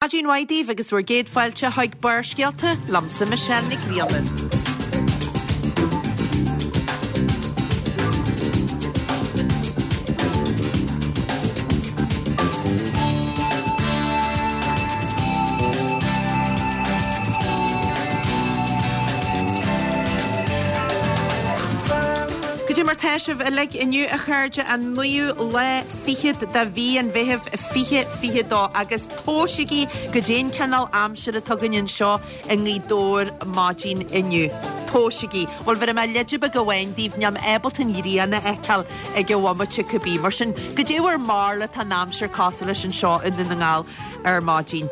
Maidin mhaith daoibh agus bhur gcéad fáilte chuig Barrscéalta liomsa Michelle Nic Grianna. Goidé mar tá sibh uilig inniu a chairde an naoú lá fichead de mhí an Mheithimh 2022 agus Tomhaisigí goidé an cineál aimsire atá againn anseo i nGaoth Dobhair maidin inniu. Tomhaisigí. Bhuel, bhéarfaidh mé leide beag amháin daoibh, níl mé ábalta an ghrian a fheiceáil ag an bhomaite cibé. Mar sin, goidé bhur mbarúil atá an aimsir cosúil leis anseo i nDún na nGall ar maidin.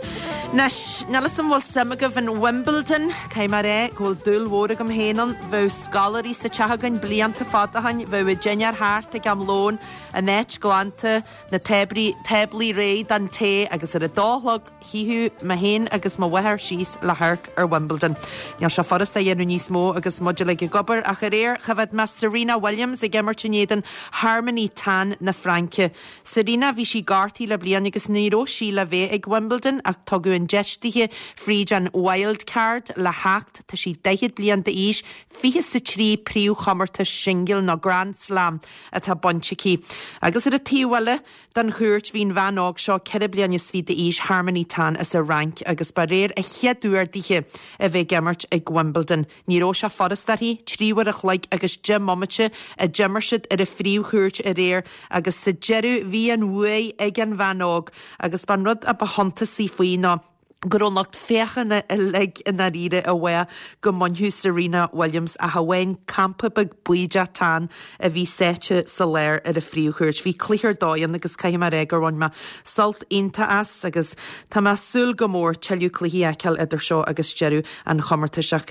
Anois, níl 'fhios a'm bhfuil suim agaibh in Wimbledon, caithfidh mé a rá go bhfuil dúil mhór agam féin ann. Bheadh scoláirí sa teach againn blianta fada ó shin, bheadh an dinnéar thart ag am lóin, an áit glanta, na táblaí réidh don tae agus ar a dó a chlog shuíodh mé féin agus mo mháthair síos le hamharc ar Wimbledon. Níl sé furasta a dhéanamh níos mó agus muid uilig ag obair ach aréir choimhéad mé Serena Williams ag imirt in éadan Harmony Tan na Fraince. Serena, bhí sí gortaithe le bliain agus ní raibh sí le bheith ag Wimbledon ach tugadh an deis dithe fríd an wild card le theacht. Tá sí 40 bliain d'aois, 23 príomhchomórtas singil nó Grand Slam atá bainte aici. Agus ar an taobh eile den chúirt bhí an bhean óg seo, 24 bliain d'aois, Harmony Tan as an Fhrainc agus ba aréir a chéad uair dithe a bheith ag imirt ag Wimbledon. Ní raibh sé furast uirthi, 3 uair a chloig agus 10 mbomaite a d'imir siad ar an phríomhchúirt aréir agus sa deireadh bhí an bhuaidh ag an bhean óg agus b'an rud a ba shuntasaí faoi ná go raibh an lucht féachana uilig i ndáiríre i bhfáth go mbainfeadh Serena Williams ach amháin campa beag baoideach tan a bhí sáite sa lár ar an phríomhchúirt. Bhí cluiche ar dóigh ann agus caithfidh mé a rá gur bhain mé sult iontach as agus tá mé ag súil go mór tuilleadh cluichí a fheiceáil idir seo agus deireadh an chomórtais ach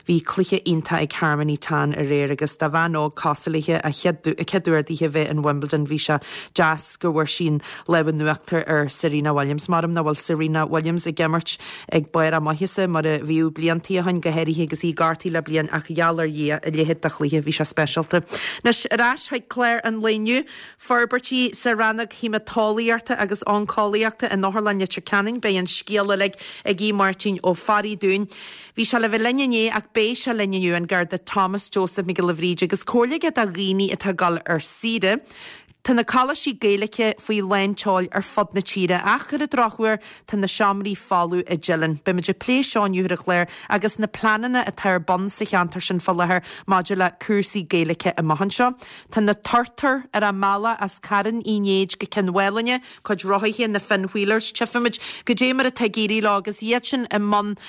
Bhí cluiche iontach ag Harmony Tan aréir agus do bhean óg cosúil léithe, a chéad uair dithe bheith in Wimbledon, bhí sé deas go bhfuair sí an lámh in uachtar ar Serena Williams. Maram nach bhfuil Serena Williams ag imirt ag barr a maitheasa mar a bhíodh bliantaí ó shin, go háirithe agus í gortaithe le bliain ach gheall ar Dhia, a leithéid de chluiche, bhí sé speisialta. Anois, ar ais chuig clár an lae inniu, forbairtí sa rannóg haemaiteolaíochta agus oncólaíochta in Otharlann Leitir Ceanainn, beidh an scéal uilig ag Aodh Máirtín Ó Fearraigh dúinn. Bhí sé le bheith linn inné ach beidh sé linn inniu, an Garda Thomas Joseph Mac Giolla Bhríde agus comhairle aige do dhaoine atá ag dul ar saoire. Tá na coláistí Gaeilge faoi lán tseoil ar fud na tíre ach ar an drochuair tá na seomraí folamh i dTeileann. Beimid ag plé seo inniu ar an chlár agus na pleananna atá ar bun sa cheantar sin fá láthair maidir le cúrsaí Gaeilge amach anseo. Tá na turtair ar a mbealach as Carn Uí Néid go Cionn Mhálanna cuid rothaithe, na Finn Wheelers, tchífimid goidé mar atá ag éirí leo agus iad sin i mbun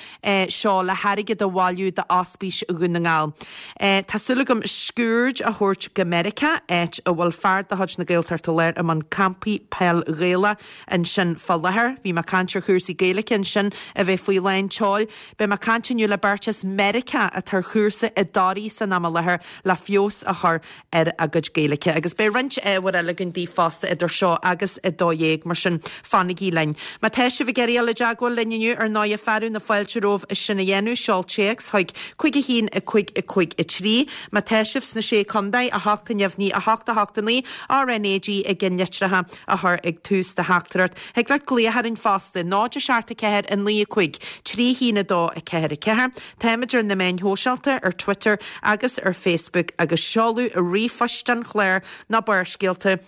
seo le hairgead a bhailiú d'Ospís Dhún na nGall. Tá súil agam sciuird a thabhairt go Meiriceá, áit a bhfuil fear de chuid na Gaeltachta Láir i mbun campaí peil Ghaelach ansin fá láthair. Bhí mé ag caint ar chúrsaí Gaeilge ansin a bheith faoi lán tseoil. Beidh mé ag caint inniu le beirt as Meiriceá atá ar chúrsa i dToraigh san am i láthair le feabhas a chur ar a gcuid Gaeilge. Agus beidh roinnt ábhair eile againn daoibh fosta idir seo agus 12:00, mar sin fanaigí linn. Má tá sibh ag iarraidh dul i dteagmháil linn inniu, ar ndóighe, fearadh na fáilte romhaibh sin a dhéanamh, seol téacs chuig 5 1 5 5 3. Má tá sibh sna Sé Contae, 8 neamhní 8 8 9, RnaG i gceannlitreacha a chur ag tús do theachtaireacht. Thig leat glaoch orainn fosta, 0 7 4 9 5 3 1 2 4 4. Táimid ar na meáin shóisialta, ar Twitter agus ar Facebook agus seoladh ríomhphoist an chláir ná Barrscéalta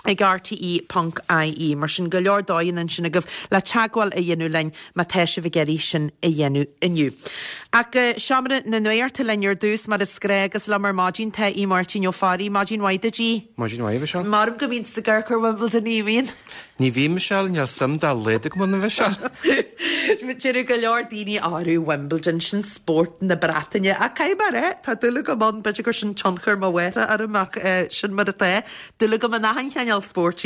ag rte.ie. Mar sin, go leor dóigheanna ansin agaibh le teagmháil a dhéanamh linn má tá sibh ag iarraidh sin a dhéanamh inniu. Ach go seomra na nuachta linn ar dtús, mar is gnách, agus liom ar maidin tá Aodh Máirtín Ó Fearraigh. Maidin mhaith duit, Aodh. Maidin mhaith, a Mhichelle. Maram go mbíonn tú ag amharc ar Wimbledon, ní bhíonn? Ní bhím, Michelle, níl suim dá laghad agam ann, a Mhichelle. Deireadh go leor daoine arú Wimbledon, sin spórt na Breataine. Ach caithfidh mé a rá, tá dúil agam ann, b'fhéidir gur sin tionchar mo mháthara orm ach sin mar atá. Dúil agam in achan chineál spóirt.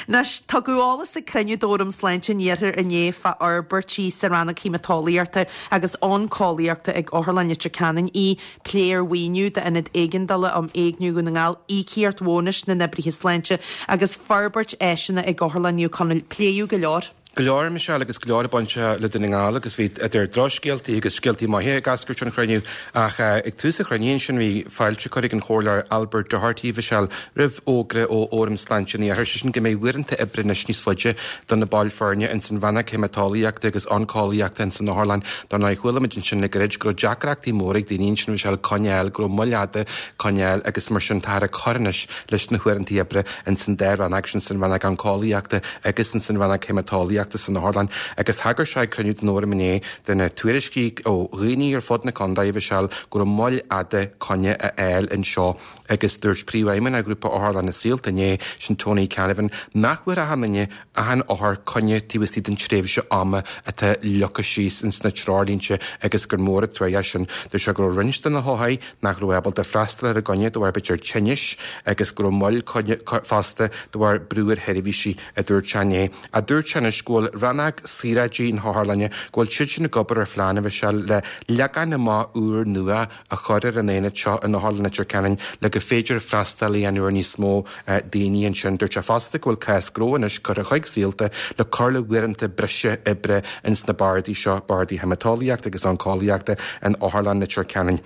Anois, tugadh eolas ag cruinniú d'Fhóram Sláinte an Iarthair inné fá fhorbairtí sa rannóg haemaiteolaíochta agus oncólaíochta ag Otharlann Leitir Ceanainn í plé ar mhaoiniú d'Ionad Éigeandála um Éigniú Dhún na nGall, íocaíocht bhónais na n-oibrithe sláinte agus forbairt áiseanna ag Otharlann Naomh Conaill. Pléadh go leor. Go leor, Michelle, agus go leor ag baint le Dún na nGall agus bhí idir drochscéaltaí agus scéaltaí maithe ag eascairt ón chruinniú ach ag tús an chruinnithe ansin bhí fáilte curtha ag an Chomhairleoir Albert Doherty, Michelle, roimh fhógra ó Fhóram Sláinte an Iarthair, sé sin go mbeidh uaireanta oibre anois níos faide do na baill foirne ins an rannóg haemaiteolaíochta agus oncólaíochta ins an otharlann. Dar ndóigh chuala muid ansin le gairid go raibh deacrachtaí móra ag daoine ansin, Michelle, coinne a fháil, go raibh moill fhada coinne a fháil agus mar sin táthar ag cur anois leis na huaireanta oibre ins an dá rannóg sin, san rannóg oncólaíochta agus ins an rannóg haemaiteolaíochta san otharlann agus thagair sé ag cruinniú den fhóram inné do na tuairiscí ó dhaoine ar fud na contae, a Mhichelle, go raibh moill fhada coinne a fháil anseo agus dúirt Príomhfheidhmeannach Ghrúpa Otharlanna Saolta inné, sin Tony Canavan, nach bhfuair achan duine, achan othar coinne taobh istigh den tréimhse ama atá leagtha síos ins na treoirlínte agus gur mór an trua é sin. Dúirt sé go raibh roinnt de na hothair nach raibh ábalta freastal ar a gcoinne de bharr b'fhéidir tinnis agus go raibh moill coinne fosta de bharr brú ar sheirbhísí, a dúirt sé inné. Ach dúirt sé anois go bhfuil rannóg saoráidí na hotharlainne, go bhfuil siad sin ag obair ar phlean, a Mhichelle, le leagan amach úr nua a chur ar an aonad seo in Otharlann Leitir Ceanainn le gur féidir freastal a dhéanamh ar níos mó daoine ansin. Dúirt sé fosta go bhfuil cás gnó anois curtha chuig Saolta le cur le huaireanta breise oibre ins na bardaí seo, bardaí haemaiteolaíochta agus oncólaíochta in Otharlann Leitir Ceanainn.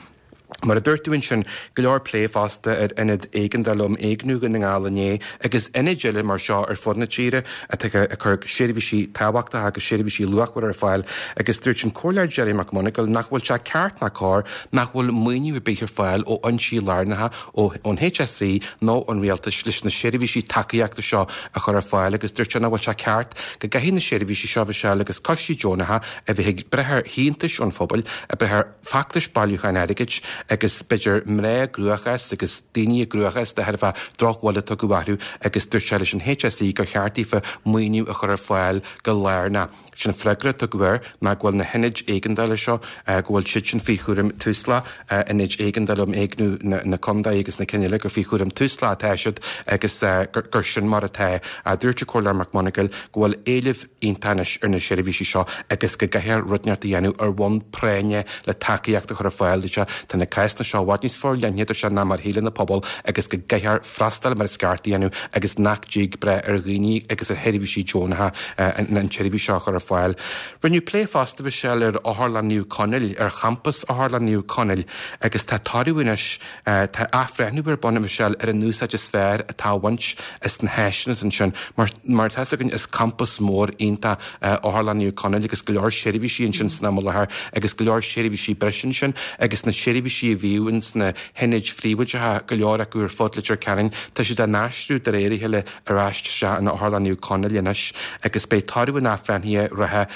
Mar a dúirt tú ansin, go leor plé fosta ar Ionad Éigeandála um Éigniú Dhún na nGall inné agus ionaid eile mar seo ar fud na tíre atá ag cur seirbhísí tábhachtacha agus seirbhísí luachmhara ar fáil agus dúirt an Comhairleoir Gerry McMonagall nach bhfuil sé ceart ná cóir nach bhfuil maoiniú ar bith ar fáil ó fhoinsí lárnacha ón HSE nó ón Rialtas leis na seirbhísí tacaíochta seo a chur ar fáil agus dúirt sé nach bhfuil sé ceart go gcaithfidh na seirbhísí seo, Mhichelle, agus coistí deonacha a bheith ag brath ar shíntiúis ón phobal, ag brath ar feachtais bailiúcháin airgid agus b'fhéidir mná i gcruachás agus daoine i gcruachás de thairbhe drochbhuille a tugadh orthu agus dúirt sé leis an HSE gur cheart daofa maoiniú a chur ar fáil go lárnach. Sin freagra a tugadh air ná go bhfuil na hionaid éigeandála seo, go bhfuil siad sin faoi chúram Tusla, ionaid éigeandála um éigniú na contae agus na cinn eile, gur faoi chúram Tusla atá siad agus gur sin mar atá. Dúirt an Comhairleoir McMonagall go bhfuil éileamh iontach anois ar na seirbhísí seo agus go gcaithfear rud inteacht a dhéanamh ar bhonn práinne le tacaíocht a chur ar fáil. Dúirt sé, tá na cásanna seo i bhfad níos forleithne, dúirt sé, ná mar a shíleann an pobal agus go gcaithfear freastal mar is ceart a dhéanamh agus nach dtig brath ar dhaoine agus ar sheirbhísí deonacha an tseirbhís seo a chur ar fáil. Rinneadh plé fosta, Mhichelle, ar Otharlann Naomh Conaill, ar champas Otharlann Naomh Conaill agus tá toradh anois, tá athbhreithniú ar bun, a Mhichelle, ar an úsáid is fearr atá á bhaint as na háiseanna atá ansin. Mar mar atá 'fhios againn is campas mór iontach é Otharlann Naomh Conaill agus go leor seirbhísí ansin san am i láthair agus go leor seirbhísí breise ansin agus na seirbhísí a bhíodh ins na hionaid phríobháideacha, go leor acu ar fud Leitir Ceanainn, tá siad á n-aistriú de réir a chéile ar ais isteach in Otharlann Naomh Conaill anois agus beidh toradh an athbhreithnithe reatha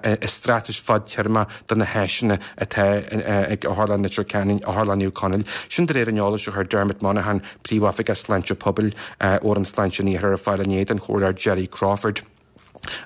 i straitéis fadtéarma do na háiseanna atá ag Otharlann Leitir Ceanainn, Otharlann Naomh Conaill. Sin de réir an eolais a chuir Dermot Monaghan, Príomhoifigeach Sláinte Pobail, Fhóram Sláinte an Iarthair ar fáil inné don Chomhairleoir Gerry Crawford.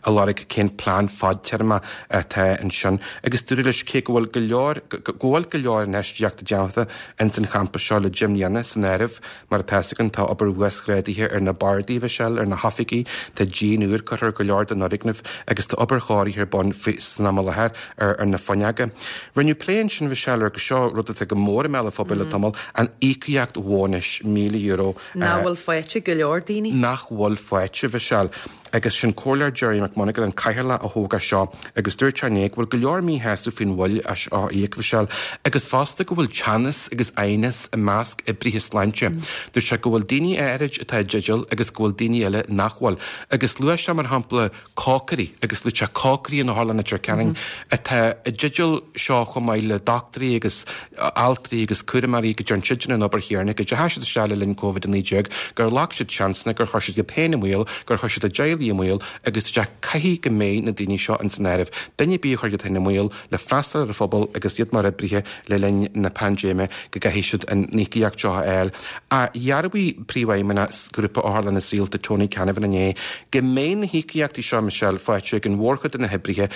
a lorg cén plean fadtéarma atá ansin agus dúradh leis cé go bhfuil go leor go bhfuil go leor infheistíochta déanta ins an champas seo le 10 mbliana san áireamh mar atá 'fhios againn tá obair uasghrádaithe ar na bardaí Mhichelle ar na hoifigí tá díon úr curtha ar go leor den fhoirgneamh agus tá obair chóirithe ar bun faoi san am i láthair ar ar na fuinneoga. Rinneadh plé ansin Mhichelle ar go seo rud atá go mór i mbéal an phobail le tamall an íocaíocht bhónais €1,000 Nach bhfuil faighte ag go leor daoine. Nach bhfuil faighte, Mhichelle. Agus sin Comhairleoir Gerry McMonagall, an cathaoirleach a thóg é seo agus dúirt sé inné go bhfuil go leor míshásamh faoin mhoill seo á íoc, Mhichelle, agus fosta go bhfuil teannas agus aighneas i measc oibrithe sláinte. Dúirt sé go bhfuil daoine áirid atá i dteideal agus go bhfuil daoine eile nach bhfuil. Agus luaigh sé mar shampla cócairí agus luaigh sé cócairí in Otharlann Leitir Ceanainn atá i dteideal seo chomh maith le dochtúirí agus altraí agus cúramóirí go dtearn siadsan an obair chéanna, go dteachaigh siad isteach le linn Covid-19, gur ghlac siad seansanna, gur chuir siad iad féin i mbaol, gur chuir siad a dteaghlaigh i mbaol agus dúirt sé caithfidh go mbeidh na daoine seo ins an áireamh. Duine ar bith a chuir iad féin i mbaol le freastal ar an phobal agus iad mar oibrithe le linn na paindéime go gcaithfidh siad an íocaíocht seo a fháil. Ach dhearbhaigh Príomhfheidhmeannach Ghrúpa Otharlanna Saolta Tony Canavan inné go mbeidh na híocaíochtaí seo, Michelle, faighte ag an mhórchuid de na hoibrithe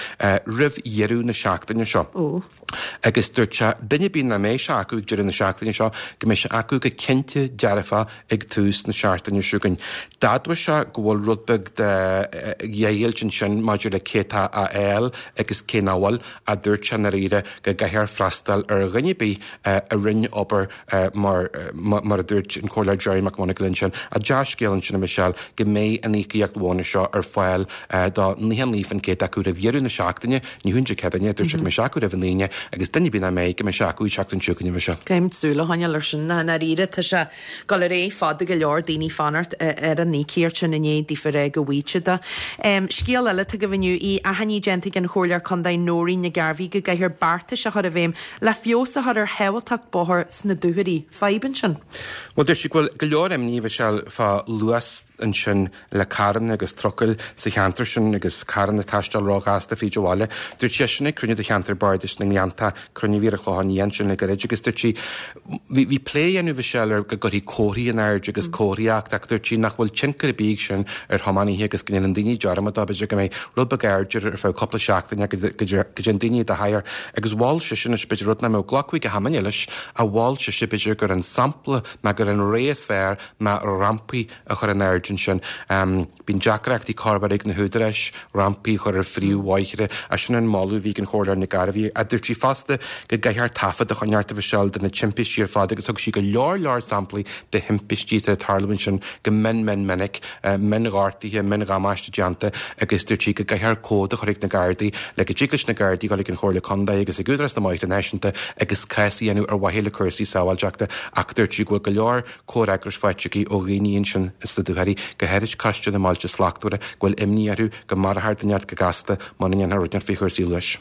roimh dheireadh na seachtaine seo. Agus dúirt sé, duine ar bith nach mbeidh sé acu ag deireadh na seachtaine seo, go mbeidh sé acu go cinnte dearfa ag tús na seachtaine seo chugainn. D'admhaigh sé go bhfuil rud beag de dheighilt ansin maidir le cé atá á fháil agus cé nach bhfuil, ach dúirt sé i ndáiríre go gcaithfear freastal ar dhuine ar bith a rinne obair mar mar a dúirt an Comhairleoir Gerry McMonagall ansin. Ach dea-scéal ansin a Michelle, go mbeidh an íocaíocht bhónais seo ar fáil do 99% acu roimh dheireadh na seachtaine, ní hamháin Dé Céadaoine, dúirt sé go mbeidh sé acu roimh an Aoine agus duine ar bith nach mbeidh, go mbeidh sé acu an tseachtain seo chugainn a Michelle. Caithfimid súil a choinneáil air sin, i ndáiríre tá sé ag dul ar aghaidh fada go leor daoine fanacht ar an íocaíocht sin i ndiaidh daofa rá go bhfaighidh siad é. Scéal eile atá agaibh inniu í achainí déanta ag an Chomhairleoir Contae Nóirín Nic Gairbhí go gcaithfear beartais a chur i bhfeidhm le feabhas a chur ar shábháilteacht bóthair sna dúchoirí. Fadhb ansin. Bhuel, dúirt sí go bhfuil go leor imní, a Mhichelle, fá luas ansin le carranna agus trucail sa cheantar sin agus carranna ag taisteal róghasta fríd an bhaile. Dúirt sí sin ag cruinniú de cheantar Bardais na nGleannta, cruinniú a bhí ar an Chlochán Liath ansin le gairid agus dúirt sí, bhí, bhí plé á dhéanamh, a Mhichelle, ar go gcuirfí comharthaí in airde agus comharthaíocht ach dúirt sí nach bhfuil tionchar ar bith ag sin ar thiománaithe agus go ndéanann daoine dearmad dó, b'fhéidir go mbeidh rud beag airde ar feadh cúpla seachtaine go dtéann daoine i do thadhar agus mhol sise anois b'fhéidir rud nach mbeadh glacadh ag achan duine leis ach mhol sise b'fhéidir gur an sampla ná gur an rogha is fearr ná rampaí a chur in airde ansin. Bíonn deacrachtaí corruair ag na húdaráis rampaí a chur ar phríomhbhóithre ach sin an moladh a bhí ag an Chomhairleoir Nic Gairbhí. Ach dúirt sí fosta go gcaithfear taifead a choinneáilt a Mhichelle de na timpistí ar fad agus thug sí go leor leor samplaí de thimpistí atá ag tarlú ansin go mion mion minic, mionghortuithe, miondhamáiste déanta agus dúirt sí go gcaithfear comhad a chur ag na Gardaí le go dtig leis na Gardaí dul ag an Chomhairle Contae agus ag Údarás na mBóithre Náisiúnta agus cás a dhéanamh ar mhaithe le cúrsaí sábháilteachta ach dúirt sí go bhfuil go leor comhfhreagrais faighte aici ó dhaoine ansin sna dúchoirí, go háirid Coiste na mBailte Slachtmhara, go bhfuil imní orthu go marófar duine inteacht go gasta muna ndéanfar rud inteacht faoi chúrsaí luais.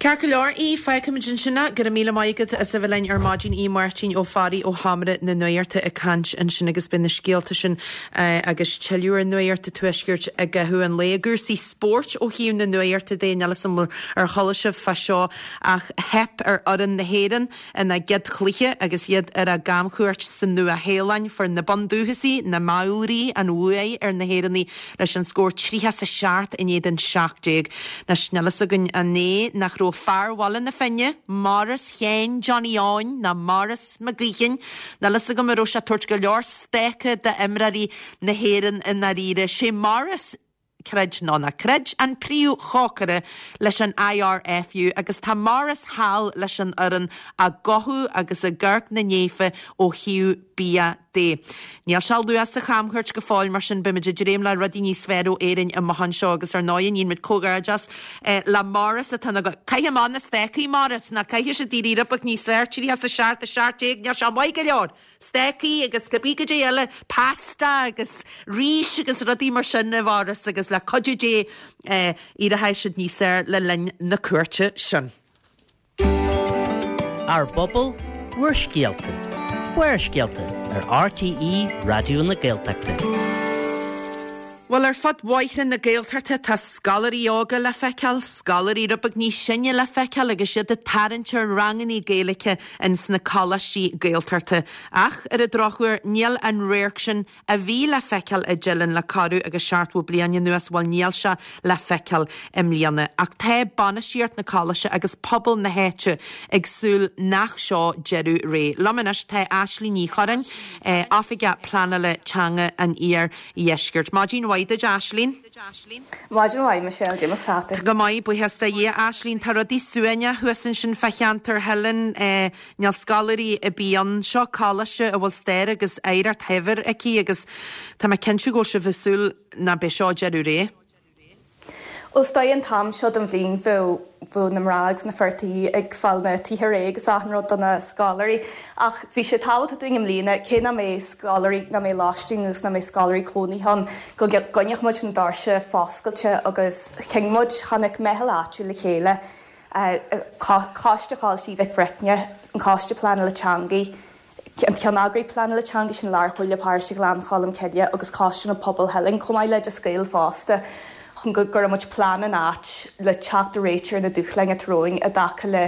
Ceart go leor, í, fágfaimid ansin é. Go raibh míle maith agat as a bheith linn ar maidin, í Máirtín Ó Fearraigh ó Sheomra na Nuachta ag caint ansin agus beidh na scéalta sin agus tuilleadh ar Nuacht an Tuaiscirt i gcaitheamh an lae. I gcúrsaí spóirt ó thaobh na nuachta de, níl 'fhios a'm ar chuala sibh fá seo ach theip ar fhoireann na hÉireann Ina gcéad chluiche agus iad ar a gcamchuairt sa Nua-Shéalainn, fuair na Bundúchasaigh, na Maoraí, an bhuaidh ar na hÉireannaigh leis an scór 37 in éadan 17. Anois, níl fhios againn an é nach raibh fear Bhaile na Finne, Maurice Sheáin Johnny Eoin ná Maurice McGuigan, níl fhios agam an raibh sé ag tabhairt go leor stáca d'imreoirí na hÉireann i ndáiríre. Sé Maurice. Creid nó ná creid, an príomhchócaire leis an IRFU agus tá Maurice thall leis an fhoireann á gcothú agus ag amharc na néife ó thaobh bia de. Níl sé luath sa chamchuairt go fóill mar sin beimid ag dréim le rudaí níos fearr ó Éirinn amach anseo agus ar ndóigh níl muid comhghairdeas le Maurice atá ina Caith amach na stácaí Maurice ná caithfidh siad éirí rud beag níos fearr 37 17 níl sé maith go leor! Stácaí agus cibé cad é eile, pasta agus rís agus rudaí mar sin a Mhaurice agus le cuidiú Dé éireoidh siad níos fearr le linn na cuairte sin. Ár bpobal, bhur scéalta. Barrscéalta ar RTÉ Raidió na Gaeltachta. Bhuel, ar fud bhóithre na Gaeltachta tá scoláirí óga le feiceáil, scoláirí rud beag níos sine le feiceáil agus iad ag tarraingt ar rangannaí Gaeilge ins na coláistí Gaeltachta. Ach, ar an drochuair, níl an radharc sin a bhí le feiceáil i dTeileann le corradh agus seachtmhó bliain anuas, bhuel, níl sé le feiceáil i mbliana. Ach tá bainistíocht na coláiste agus pobal na háite ag súil nach seo deireadh ré. Liom anois tá Aisling Ní Churráin, Oifigeach Pleanála Teanga an Iar Dheiscirt. Maidin mhaith duit, Aisling. Maidin mhaith, Michelle, Cad é mar atá tú. Go maith, buíochas do Dhia. Aisling, tá rudaí suaimhneach thuas ansin fá cheantar Theileann. Níl scoláirí ar bith ann. Seo coláiste a bhfuil stair agus oidhreacht shaibhir aici agus tá mé cinnte go bhfuil sibh ag súil nach b'é seo deireadh ré. Bhuel, is dóigh an t-am seo den bhliain bheadh bheadh na mná agus na fir tí ag fáil na tithe réidh agus achan rud do na scoláirí. Ach bhí sé tábhachtach dúinn i mbliana, cé nach mbeidh scoláirí, nach mbeidh lóistín agus nach mbeidh scoláirí cónaithe ann, go gcoinneodh muid na doirse foscailte agus chinn muid, tháinig meitheal áitiúil le chéile, Coiste Choláiste Mhic Bhreifne, an Coiste Pleanála Teangaí, an Ceanneagraí Pleanála Teanga, sin Lár-Chomhairle Paróiste Ghleann Cholm Cille agus Coiste na Pobal Theileann, chomh maith le Oideas Gael fosta, chun go gcuirfidh muid plean in áit le teacht ar réiteach ar na dúshláin atá romhainn i dtaca le.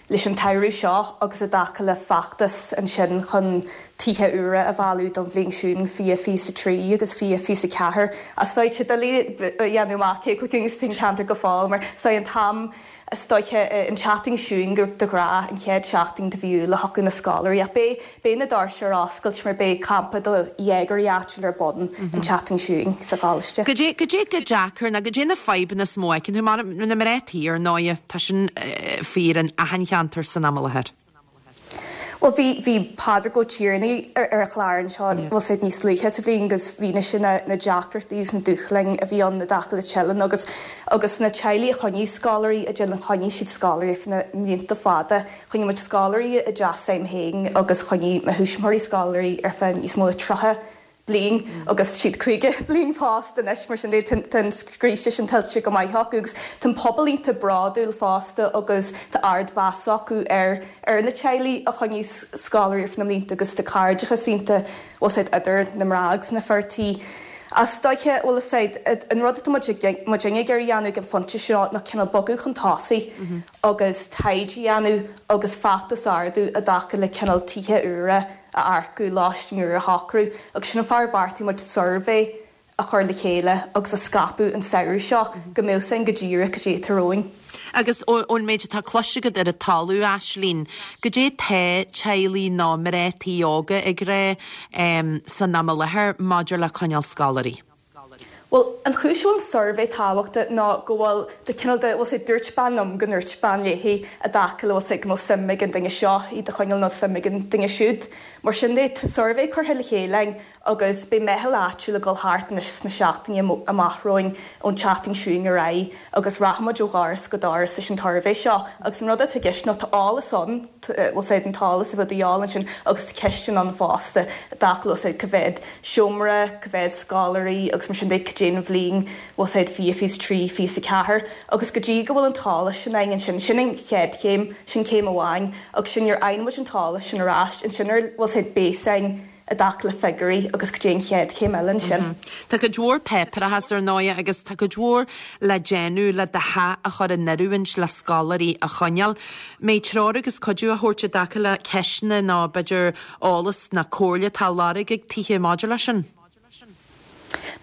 leis an tsamhradh seo agus i dtaca le feachtas ansin chun tithe úra a mhealladh don bhliain seo chugainn 2023 agus 2024. Is dóigh tá sé doiligh a dhéanamh amach cé chomh ciúin is atá an ceantar go fóill mar is dóigh an t-am Is dóiche an tseachtain seo chugainn gur de ghnáth an chéad seachtain de mhí Iúil a thiocfadh na scoláirí ach beidh beidh na doirse ar oscailt mar beidh campa do dhéagóirí áitiúil ar bun an tseachtain seo chugainn sa choláiste. Goidé goidé chomh deacair nó goidé na fadhbanna is mó a fheiceann tú mar na mná tí ar ndóighe tá sin fíor in achan cheantar san am i láthair. Bhuel, bhí, bhí Pádraig Ó Tiarnaigh ar, ar an chlár anseo, bhfuil a fhios agat, níos luaithe sa bhliain agus mhínigh sé na, na deacrachtaí agus na dúshláin a bhí ann i dtaca le Teileann agus, agus na teaghlaigh a choinnigh scoláirí i dTeileann, choinnigh siad scoláirí ar feadh na mblianta fada. Choinnigh muid scoláirí i dteach s'agam féin agus choinnigh mo thuismitheoirí scoláirí ar feadh níos mó ná 30 bliain agus siad 50 bliain pósta anois, mar sin de tá an scríste sin tuillte go maith acu agus tá an pobal iontach bródúil fosta agus tá ardmheas acu ar ar na teaghlaigh a choinnigh scoláirí ar feadh na mblianta agus tá cairdeachas iontach bhfuil a fhios agat idir na mná agus na fir tí. Is dóiche, bhfuil a fhios agat, an rud atá muid muidinne ag iarraidh a dhéanamh ag an phointe seo ná cineál bogadh chun tosaigh agus taighde a dhéanamh agus feachtas a ardú i dtaca le cineál tithe úra a earcú, lóistín úr a shocrú agus sin an fáth ar bheartaigh muid suirbhé a chur le chéile agus a scaipeadh an samhradh seo go mbeadh 's againn go díreach cad é atá romhainn. Agus ón méid atá cloiste agat ar an talamh, Aislínn, goidé tá teaghlaigh nó mná tí óga ag rá san am i láthair maidir le coinneáil scoláirí? Bhuel, an chúis a bhfuil an suirbhé tábhachtach ná go bhfuil de cineál de, bhfuil a fhios agat, dúirt bean liom go ndúirt bean léi i dtaca le, bhfuil a fhios agat, go mbeadh suim ag an duine seo iad a choinneáil nó suim ag an duine siúd. Mar sin de, tá suirbhé curtha le chéile againn agus beidh meitheal áitiúil ag dul thart anois sna seachtainí amach romhainn, ón tseachtain seo chugainn ar aghaidh agus rachaimid ó dhoras go doras leis an tsuirbhé seo agus an rud atá i gceist ná tá eolas ann, bhfuil a fhios agat, an t-eolas a bheadh de dhíobháil ansin agus tá ceisteanna ann fosta i dtaca le, bhfuil a fhios agat, cá mhéad seomra, cá mhéad scoláirí agus mar sin de, cad é an bhliain, bhfuil a fhios agat, 2023, 24 agus go dtí go bhfuil an t-eolas sin againn ansin, sin an chéad chéim, sin céim amháin agus sin nuair a fhaigheann muid an t-eolas sin ar ais, ansin ar, bhfuil a fhios agat, beidh a fhios againn i dtaca le figiúirí agus cad é an chéad chéim eile ansin. Tá cuid mhór páipéarachas ar ndóighe agus tá cuid mhór le déanamh le do theach a chur in oiriúint le scoláirí a choinneáil. Mbeidh treoir agus cuidiú á thabhairt i dtaca le ceisteanna nó b'fhéidir eolas nó comhairle atá á lorg ag tithe maidir leis sin?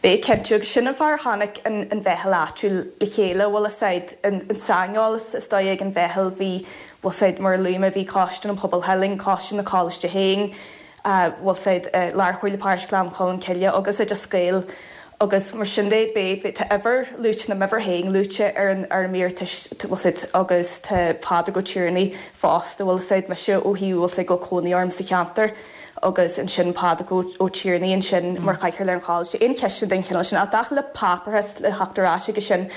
Beidh, cinnte, agus sin an fáth ar tháinig an mheitheal áitiúil le chéile, bhfuil a fhios agat, an saineolas is dóigh ag an mheitheal, bhí, bhfuil a fhios agat, mar a luaigh mé, bhí Coiste an Pobail Theilinn, Coiste na Coláiste féin, bhfuil a fhios agat, Lár-Chomhairle Paróiste Ghleann Cholm Cille agus Oideas Gael agus mar sin de, beidh, tá uimhir luaite, nó m'uimhir féin luaite ar an, ar an m'iarratas, bhfuil a fhios agat, agus tá Pádraig Ó Tiarnaigh fosta, bhfuil a fhios agat, mise ó thaobh, bhfuil a fhios agat, go bhfuil cónaí orm sa cheantar agus ansin Pádraig Ó Tiarnaigh ansin mar chathaoirleach ar an choláiste. Aon cheisteanna den chineál sin, ach i dtaca le páipéarachas le theacht ar ais agus sin,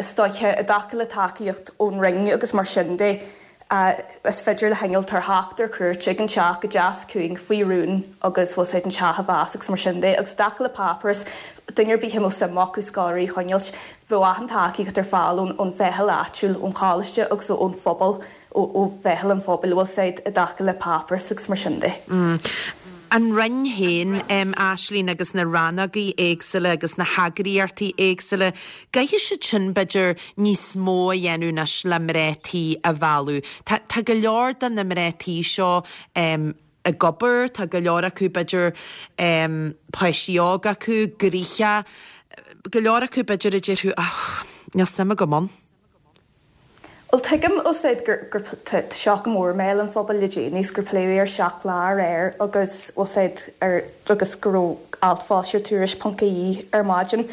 is dóiche, i dtaca le tacaíocht ón Roinn agus mar sin de, Is féidir le hinnealtóir theacht ar cuairt ag an teach go deas ciúin faoi rún agus bhfuil a fhios agat an teach a mheas agus mar sin de. Agus i dtaca le páipéarachas, duine ar bith a mbeadh suim acu scoláirí a choinneáilt, bheadh achan tacaíocht ar fáil ón mheitheal áitiúil, ón choláiste agus ón phobal, ó mheitheal an phobail, bhfuil a fhios agat, i dtaca le páipéarachas agus mar sin de. An Roinn féin, Aislínn, agus na rannógaí éagsúla agus na heagraíochtaí éagsúla, gcaithfidh siad sin, b'fhéidir, níos mó a dhéanamh anois le mná tí a mhealladh. Tá, tá go leor de na mná tí seo ag obair, tá go leor acu, b'fhéidir, páistí óga acu, gnoitheach, go leor acu, b'fhéidir, a déarfadh, 'ach, níl suim agam ann. Bhuel, tuigim, bhfuil a fhios agat, gur, gur, tá seo go mór i mbéal an phobail le déanaí is gur pléadh é ar Seacht Lá aréir agus, bhfuil a fhios agat, ar, agus go raibh alt foilsithe ar Tuairisc ponc ie ar maidin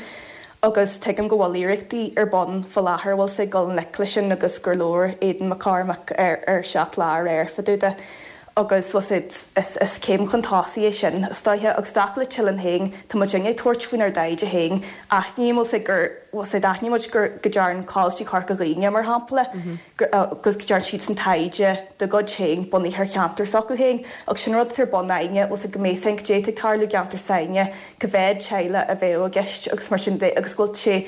agus tuigim go bhfuil iarrachtaí ar bun fá láthair, bhfuil a fhios agat, dul i ngleic leis sin agus gur labhair Aidan McCormack ar, ar Seacht Lá aréir fá dtaobh de. Agus, bhfuil a fhios agat, is, is céim chun tosaigh é sin, is dóiche. Agus i dtaca le Teileann féin, tá muid ag tabhairt faoinár dtaighde féin. Aithním, bhfuil a fhios agat, gur, bhfuil a fhios agat, aithníonn muid gur, go dtearn Coláistí Chorca Dhuibhne, mar shampla, gur, agus go dtearn siadsan taighde dá gcuid féin bunaithe ar cheantar s'acu féin. Agus sin rud atá ar bun a'inne, bhfuil a fhios agat, go mbeidh a fhios a'inn cad é atá ag tarlú i gceantar s'a'inne, cá mhéad teaghlach a bheadh i gceist agus mar sin de, agus go bhfuil sé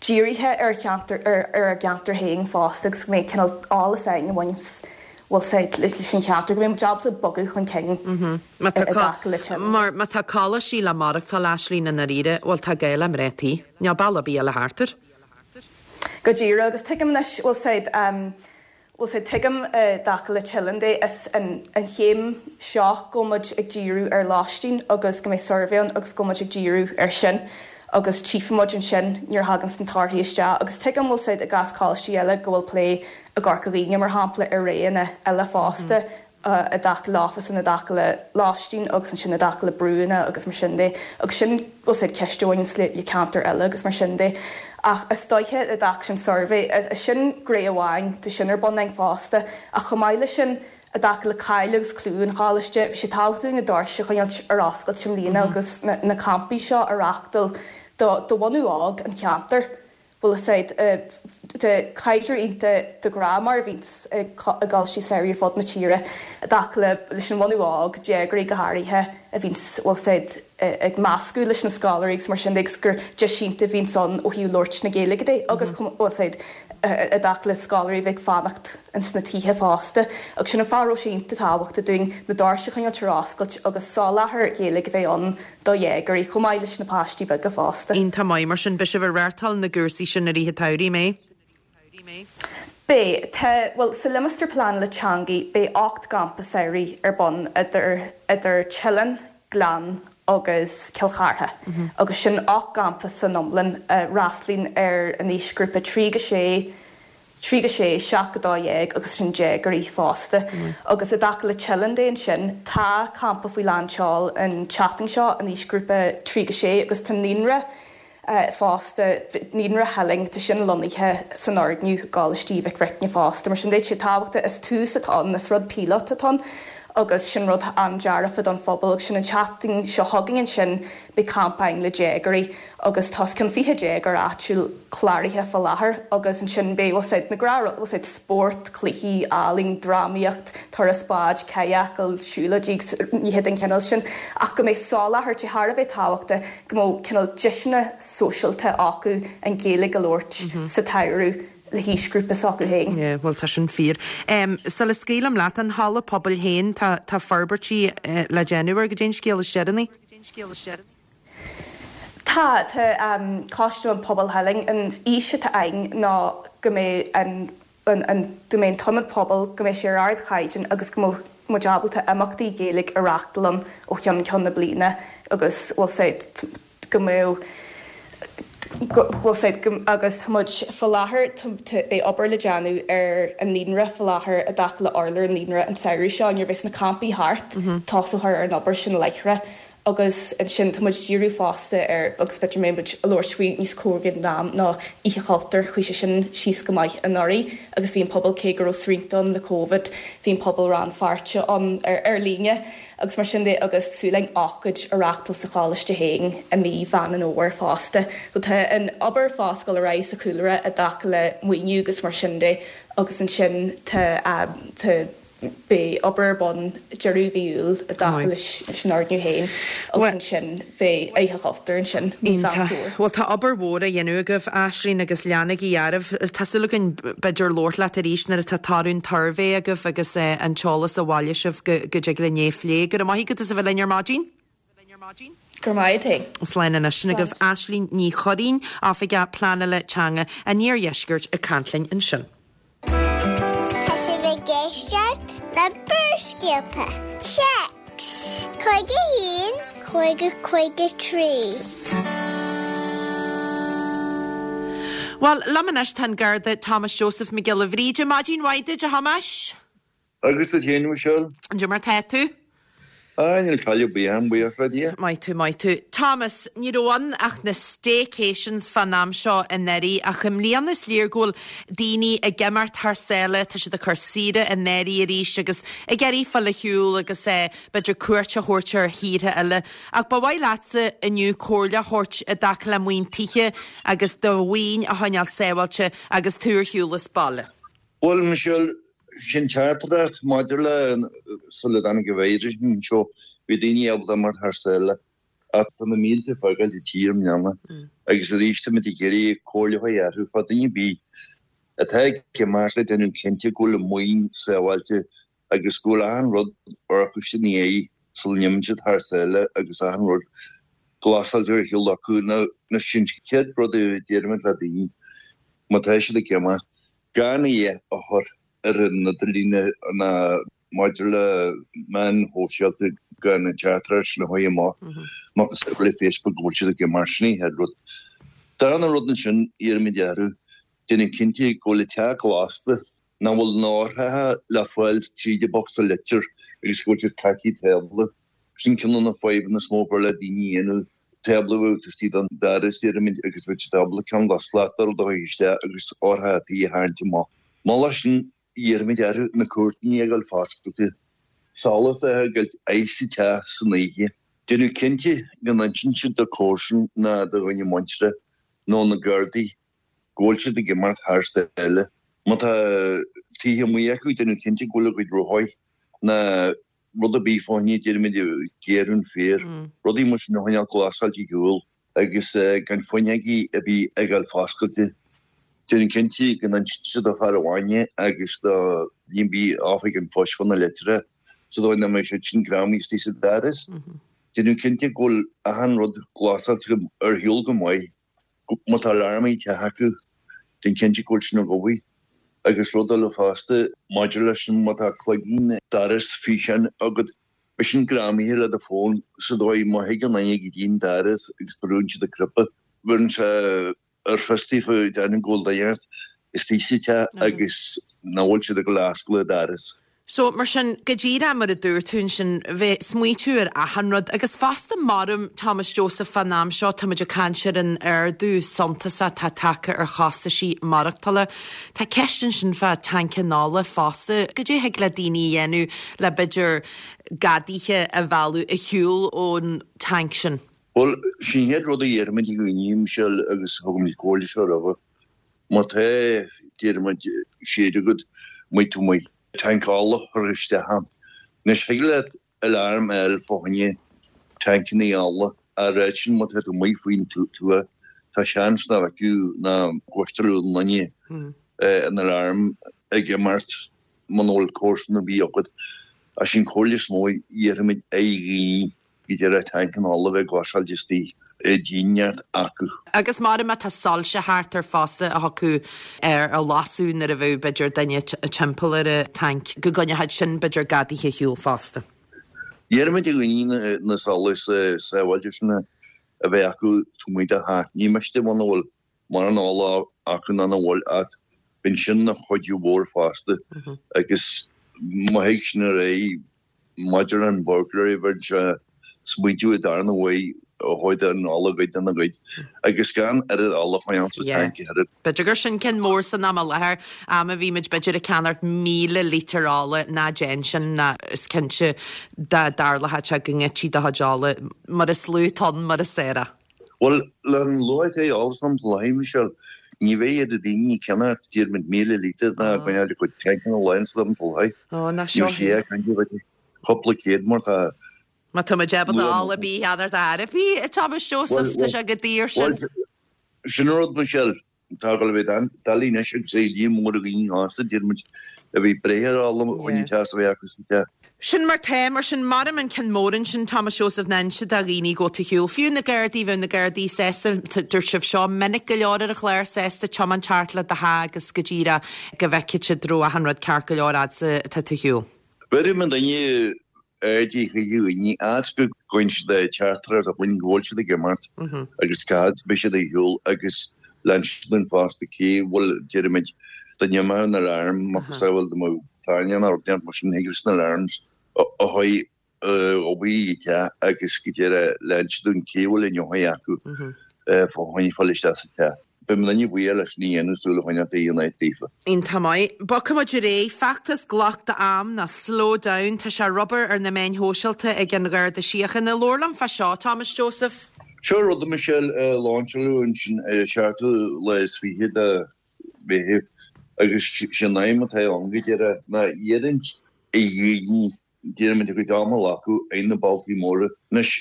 dírithe ar cheantar, ar ár gceantar féin fosta agus go mbeidh cineál eolas a'inn a bhaineas, bhfuil a fhios agat, leis an cheantar, go mbeidh muid ábalta bogadh chun cinn i dtaca le Teileann. Mar má tá coláistí le maireachtáil, Aislínn, i ndáiríre, bhuel tá gá le mná tí. Níl bealach ar bith eile thart air. Go díreach, agus tuigim anois, bhfuil a fhios agat. Bhuel sea, tuigim i dtaca le Teileann de, is an chéim seo go bhfuil muid ag díriú ar lóistín agus go mbeidh suirbhé ann agus go bhfuil muid ag díriú air sin agus tchífidh muid ansin nuair a thaganns na torthaí isteach agus tuigim bhfuil 's a'd i gcás coláistí eile go bhfuil plé i gCorca Dhuibhne mar shampla ar roghanna eile fosta i dtaca le office i dtaca le lóistín agus ansin i dtaca le brúanna agus mar sin de agus sin bhfuil 's a'd ceist a bhaineanns le le ceantair eile agus mar sin de. Ach is dóiche i dtaca sin suirbhé, sin gné amháin de sin ar bun againn fosta ach chomh maith leis sin i dtaca le cáil agus clú an choláiste, bhí sé tábhachtach dúinn na doirse a choinneáilt ar oscailt i mbliana agus na na campaí seo a reáchtáil do do bhunú óg an cheantair. Bhfuil 'fhios a'd, tá caidreamh iontach de ghnáth mar a bhíonns i gcoláistí samhraidh ar fud na tíre i dtaca le leis an bhunú óg, déagóirí go háirithe, a bhíonns, bhfuil 'fhios a'd, ag meascadh leis na scoláirí agus mar sin de agus gur deis iontach a bhíonns ann ó thaobh labhairt na Gaeilge de agus bhfuil 'fhios a'd, i dtaca le scoláirí a bheith ag fanacht ins na tithe fosta. Agus sin an fáth a raibh sé iontach tábhachtach dúinn na doirse a choinneáilt ar oscailt agus soláthar Gaeilge a bheith ann do dhéagóirí, chomh maith leis na páistí beaga fosta. Iontach maith, mar sin beidh sibh ag reáchtáil na gcúrsaí sin i rith an tsamhraidh, an mbeidh? Beidh. Tá, bhuel, sa Limistéar Pleanála Teanga beidh 8 gcampa samhraidh ar bun idir, idir Teileann, Gleann agus Cill Chartha agus sin 8 gcampa san iomlán a fhreastlaíonn ar an aoisghrúpa 3 go 6, 3 go 6, 7 go 12 agus sin déagóirí fosta. Agus i dtaca le Teileann de ansin, tá campa faoi lán tseoil an tseachtain seo, an aoisghrúpa 3 go 6 agus tá naíonra fosta, Naíonra Theileann, tá sin lonnaithe san fhoirgneamh i gColáiste Mhic Bhricne fosta. Mar sin de, tá sé tábhachtach, is tús atá ann, is rud píolóta atá ann agus sin rud an-dearfa don phobal agus sin an tseachtain seo chugainn ansin beidh campa againn le déagóirí. agus tá os cionn 20 déagóir áitiúil cláraithe fá láthair agus ansin beidh bhfuil 's a'd na gnáth bhfuil 's a'd spórt, cluichí, ealaín, drámaíocht, turas báid, cadhcáil, siúlóidí agus nithe den chineál sin ach go mbeidh soláthar, tá sé thar a bheith tábhachtach go mbeadh cineál deiseanna sóisialta acu an Ghaeilge a labhairt sa tsamhradh le haoisghrúpa s'acu féin. Yeah, bhuel tá sin fíor. Sula scaoilim leat, an halla pobail féin, tá tá forbairtí le déanamh air, goidé an scéal is deireanaí. Tá, tá Coiste um Pobal Theileann, an fhís atá againn ná go mbeidh an, an, go mbeidh an t-ionad pobail, go mbeidh sé ar ardchaighdeán agus go mbeidh muid ábalta imeachtaí Gaeilge a reáchtáil ann ó cheann ceann na bliana agus bhfuil 's a'd go mbeadh, go, bhfuil 's a'd go, agus tá muid fá láthair, tá, tá, beidh obair le déanamh ar an naíonra fá láthair i dtaca le urlár an naíonra an samhradh seo nuair a bheas na campaí thart, tosófar ar an obair sin láithreach. Agus ansin tá muid ag díriú fosta ar, agus b'fhéidir go mbeidh muid ag labhairt faoi níos cóngaraí don am, ná Oíche Chultúir. Chuaigh sé sin síos go maith anuraidh agus bhí an pobal, cé go raibh srianta ann le Covid, bhí an pobal rannpháirteach ann ar líne agus mar sin de agus súil againn ócáid a reáchtáil sa choláiste féin i mí Mheán an Fhómhair fosta. So tá an obair fós ag dul ar aghaidh sa chúlra i dtaca le maoiniú agus mar sin de agus ansin tá, tá, Beidh obair ar bun deireadh mhí Iúil i dtaca leis an fhoirgneamh féin agus ansin beidh Oíche Chultúir ansin mí Mheán Iontach. Fómhair. Bhuel tá obair mhór á dhéanamh agaibh, Aisling, agus leanaigí oraibh. Tá súil againn b'fhéidir labhairt leat arís nuair atá toradh an tsuirbhé agaibh agus an t-eolas a bhailigh sibh go dtig linn é a phlé. Go raibh maith agat as a bheith linn ar maidin. Go raibh maith agat. Slán anois. Sin agaibh Aisling Ní Churraoin, Oifigeach Pleanála Teanga an Iardheiscirt ag caint linn ansin. Tá sibh ag éisteacht le Barrscéalta. Téacs 51 50 53. Bhuel, liom anois tá an Garda Thomas Joseph Mac Giolla Bhríde. Maidin mhaith duit, a Thomáis. Agus duit féin, a Mhichelle? Cad é mar tá tú? Ah, níl caill ar bith orm, buíochas le Dia. Maith tú, maith tú. Thomas, ní raibh ann ach na staycations fán am seo anuraidh ach i mbliana is léir go bhfuil daoine ag imeacht thar sáile, tá siad ag cur saoire in áirithe arís agus ag iarraidh fáil ar shiúl agus eh, b'fhéidir cuairt a thabhairt ar thíortha eile. Ach ba mhaith leatsa inniu comhairle a thabhairt i dtaca le maoin tithe agus do mhaoin a choinneáil sábháilte agus tú ar shiúl as baile. Bhuel, Michelle, sin teachtaireacht maidir le sula dtáinig an víreas anseo, bhí daoine ábalta imeacht thar sáile ach tá na mílte ag fágáil an tír i mbliana agus arís táimid ag iarraidh comhairle a chur orthu fá duine ar bith atá ag imeacht le déanamh cinnte go bhfuil a maoin sábháilte agus go bhfuil achan rud orcaiste ina dhiaidh sula n-imíonn siad thar sáile agus achan rud glasáilte ar shiúl acu. Nó sin an chéad rud a deirimid le daoine má tá siad ag imeacht, gan a dhath a chur. ar an idirlíon ná maidir le meáin shóisialta gan an teachtaireacht sin a chur amach, macasamhail le Facebook go bhfuil siad ag imeacht, sin an chéad rud. Darna rud ansin, iarraimid orthu déanamh cinnte go bhfuil an teach glasta, nach bhfuil na heochracha le fáil tríd an bocsa litter agus go bhfuil siad caite tábla. Sin ceann de na fadhbanna is mó b'fhearr le daoine a dhéanamh, tábla a bheadh istigh den doras, déarfaimid, agus bheadh siad ábalta ceann de shlat de rud a chur isteach agus eochracha tí a tharraingt amach. Moladh sin, iarraimid orthu na cúirtíní a fhágáil foscailte, solas a fhágáil sa teach san oíche. Déanamh cinnte go n-insíonn siad do chomharsan ná do dhuine muinteartha nó na Gardaí go bhfuil siad ag imeacht thar sáile. Má tá tithe amuigh acu, déanamh cinnte go bhfuil a gcuid rothaí ná rud ar bith fá choinne, déarfaimid, gearradh an féar, rudaí mar sin a choinneáil glasáilte ar shiúl agus gan fuinneogaí ar bith a fhágáil foscailte. Déanamh cinnte go n-insíonn siad do fear an bhainne agus do dhuine ar bith oifig an phoist fá na litreacha sa dóigh nach mbeidh siad sin greamaithe istigh sa doras. Déanamh cinnte go bhfuil achan rud glasáilte ar shiúl go maith. Má tá alarm sa teach acu, déan cinnte go bhfuil sin ag obair. Agus rud eile fosta, maidir leis sin, má tá cloigín dorais físeáin agat, beidh sin greamaithe le do fón sa dóigh má thigeann duine go dtí an doras agus brúnn siad an cnaipe, bheireann sé ar fios daofa déarfainn go bhfuil duine istigh sa teach agus nach bhfuil siad ag dul a oscailt an doras. So, mar sin, go díreach mar a dúirt tú ansin, bheith smaoitiú ar achan rud agus fosta maram Thomas Joseph fán am seo, táimid ag caint ar an ardú suntasach atá tagtha ar chostaisí maireachtála. Tá ceist ansin fá tancanna ola fosta, goidé a thig le daoine a dhéanamh le b'fhéidir gadaithe a mhealladh ar shiúl ón tanc sin? Bhuel, sin an chéad rud a dhéarfaimid ag daoine, Michelle, agus thugaimid comhairle seo roimhe. Má tá, déarfaimid, séid agat, maith tú maith. Tanc ola a chur isteach ann. Anois, thig leat alarm a fháil fá choinne tancanna ola, ach oiread sin má tá tú amuigh faoin tuath, tá seans nach bhfeicfeadh ná gcloisfeadh aon duine an alarm ag imeacht muna bhfuil comharsan ar bith agat. Ach sin comhairle is mó a dhéarfaimid ar dhaoine. Go díreach tancanna ola a bheith glasáilte istigh i dtíneart acu. Agus mar má tá soilse thart air fosta a thiocfadh ar a lasadh nuair a bheadh b'fhéidir duine timpeall ar an tanc, go gcoinneochadh sin b'fhéidir gadaithe ar shiúl fosta. Iarraimid ar dhaoine na solais sábháilte sin a bheith acu taobh amuigh de theach. Ní miste muna bhfuil mórán ola acu ná nach bhfuil ach bíonn sin ina chuidiú mhór fosta agus má thig sin ar aghaidh Maidir leis an burglary bheadh sé smaointiú i darna uaidh a chuid an ola a ghoid ina ghoid agus gan oiread ola a choinneáil sa tanc a oiread. B'fhéidir gur sin ceann mór san am i láthair, am a bhímid b'fhéidir ag ceannacht 1,000 lítear ola, ná déan sin ná is cinnte dá dtarlódh sé go ngoidtí do chuid ola mar is lú tonn mar is fearr. Bhuel, le an luach atá ar ola san am i láthair, Michelle, ní bheidh iad daoine ag ceannacht déarfaimid 1,000 lítear ná ag coinneáil a gcuid tancanna lán san am i láthair. Ó, ná seo Ní bheidh sé ag caint ar cúpla céad mar tá Má tá muid ábalta ola ar bith a cheannacht ar bith, a Thomas Joseph, tá sé go daor sin. Bhuel, sin an rud, Michelle. Tá ag dul a bheith doiligh anois agus é líon mór de dhaoine fásta, deir muid, a bhí breith ar ola chun an teas a bheith acu sa teach. Sin mar tá, mar sin, maram an ceann mór ansin, Thomas Joseph, ná inse do dhaoine go bhfuil tú ar shiúl. Fiú na Gardaí, bheadh na Gardaí sásta, dúirt sibh seo minic go leor ar an chlár, sásta tiomáint thart le do theach agus go díreach go bhfeicfidh siad raibh achan rud ceart go leor fhad 's atá tú ar shiúl. Bheireadh an duine aird ar dhaoine as go gcuireann siad teachtaireacht chugainn go bhfuil siad ag imeacht agus cá fhad beidh siad ar shiúl agus lean siad an fosta cé bhfuil déarfaimid dá n-imeodh an alarm macasamhail dá mbeadh tairne nó rud inteacht mar sin thig leis na alarms a chur ag obair sa teach agus go deireadh lean siad an cé bhfuil an eochair acu fá choinne fáil isteach sa teach. Beidh mo dhuine buíoch leis an dhéanamh súil a choinneáil fé an áit daofa. Iontach maith. Bogfaidh muid ar aghaidh. Feachtas Glac d'Am nó Slow Down. Tá sé ag obair ar na meáin shóisialta ag an Gharda Síochána. Labhair liom fá seo, Thomas Joseph. Seo rud a Michelle a láinseáladh ansin ar an seachtú lá is fiche de Mheitheamh agus sé an aidhm atá ann go díreach ná iarraidh ar dhaoine Déarfaimid a gcuid ama a ghlacadh ar na bealtaí móra. Anois,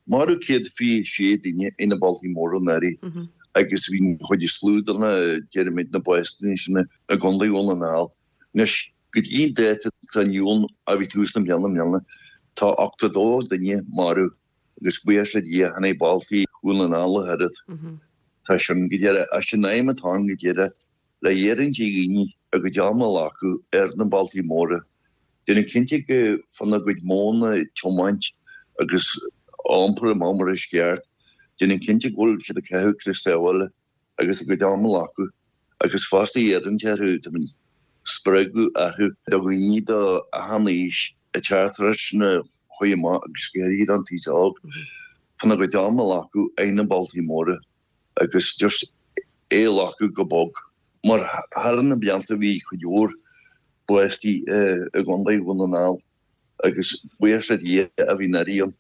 maraíodh 126 duine ar na bealtaí móra anuraidh agus bhí an chuid is lú de na, déarfaimid, na básanna sin i gContae Dhún na nGall. Anois, go dtí an dáta atá inniu ann, a bhí tús na bliana i mbliana, tá 82 duine marbh agus buíochas le Dia chan é bealtaí Dhún na nGall ach oiread. Tá sin go díreach, as sin aidhm atá ann go díreach le iarraidh ar dhaoine. a gcuid ama a ghlacadh ar na bealtaí móra, déanamh cinnte go fána gcuid modhanna tiomáint agus iompar amach mar is ceart, déanamh cinnte go bhfuil siad ag caitheamh crios sábhála agus a gcuid ama a ghlacadh agus fosta iarraint orthu, tá muid spreagadh orthu do dhaoine de achan aois ag teacht tar éis na chuaigh amach agus go háirithe don t-aos óg, fána gcuid ama a ghlacadh ar na bealtaí móra agus just é a ghlacadh go bog. Mar thar na blianta bhí cuid mhór báistí i gContae Dhún na nGall agus buíochas le Dia a bhí anuraidh ann,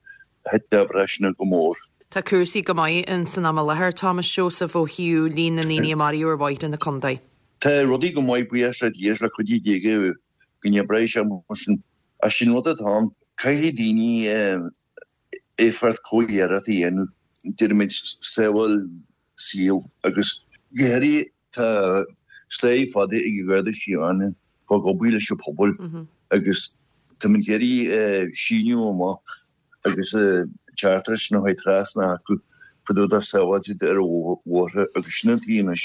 thit na breithiúna go mór. Tá cúrsaí go maith in san am i láthair, Thomas Joseph, ó thaobh líon na ndaoine a maraíodh ar bhóithre na contae. Tá rudaí go maith buíochas le Dia is le cuidiú Dé go n-oibreoidh sé mar sin. Ach sin rud atá ann, caithfidh daoine éifeacht comhiarracht a dhéanamh, déarfaimid, sábháil saol agus go háirithe tá slí fada ag an Gharda Síochána ag obair leis an pobal agus táimid ag iarraidh síneadh amach agus teachtaireacht sin a chur trasna acu fá dtaobh de sábháilteacht ar an bhóthar agus sin an taobh anois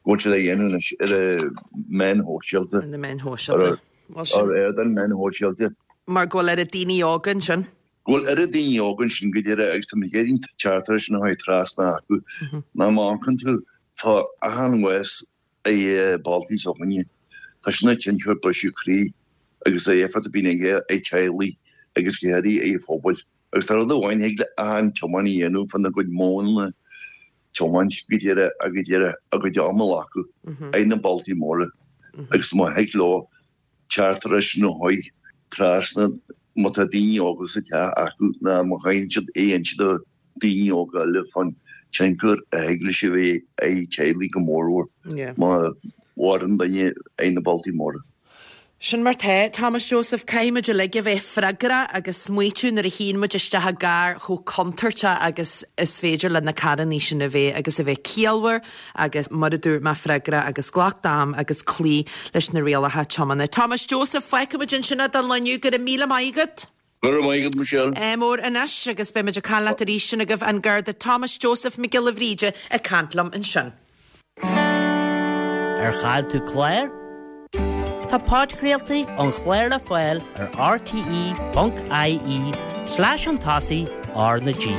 go bhfuil siad á dhéanamh anois ar na meáin shóisialta. Ar na meáin shóisialta. Ar ardáin meáin shóisialta. Mar go bhfuil oiread daoine óga ansin. Go bhfuil oiread daoine óga ansin go díreach agus táimid ag iarraidh an teachtaireacht sin a chur trasna acu. Má amharcann tú, tá achan bhás i bealtaí s'againne, tá sin ag tionchar briseadh croí agus an éifeacht a bhíonn aige ar teaghlaigh agus go háirithe ar phobail. Agus tá rud amháin a thig le achan tiománaí a dhéanamh fána gcuid modhanna tiomáint go díreach go díreach a gcuid ama a ghlacadh ar na bealtaí móra agus má thig leo teachtaireacht sin a chur trasna má tá daoine óga sa teach acu ná má chailleann siad é inse do daoine óga eile fán tionchar a thig leis a bheith ar teaghlaigh go mórmhór má mhaireann duine ar na bealtaí móra. Sin mar tá, Thomas Joseph, caithfidh muid uilig a bheith freagrach agus smaoitiú nuair a shuíonn muid isteach i gcarr chomh contúirteach agus is féidir le na carrannaí sin a bheith agus a bheith ciallmhar agus mar a dúirt mé freagrach agus glac d'am agus cloí leis na rialacha tiomána. Thomas Joseph, fágfaidh muid ansin é don lá inniu. Go raibh míle maith agat. Go raibh maith agat, Michelle. Ádh mór anois agus beidh muid ag caint leat arís sin agaibh an Garda Thomas Joseph Mac Giolla Bhríde ag caint liom ansin. Ar chaill tú clár? Tá podchraoltaí an chláir le fáil ar rte.ie slash an tosaigh R na G.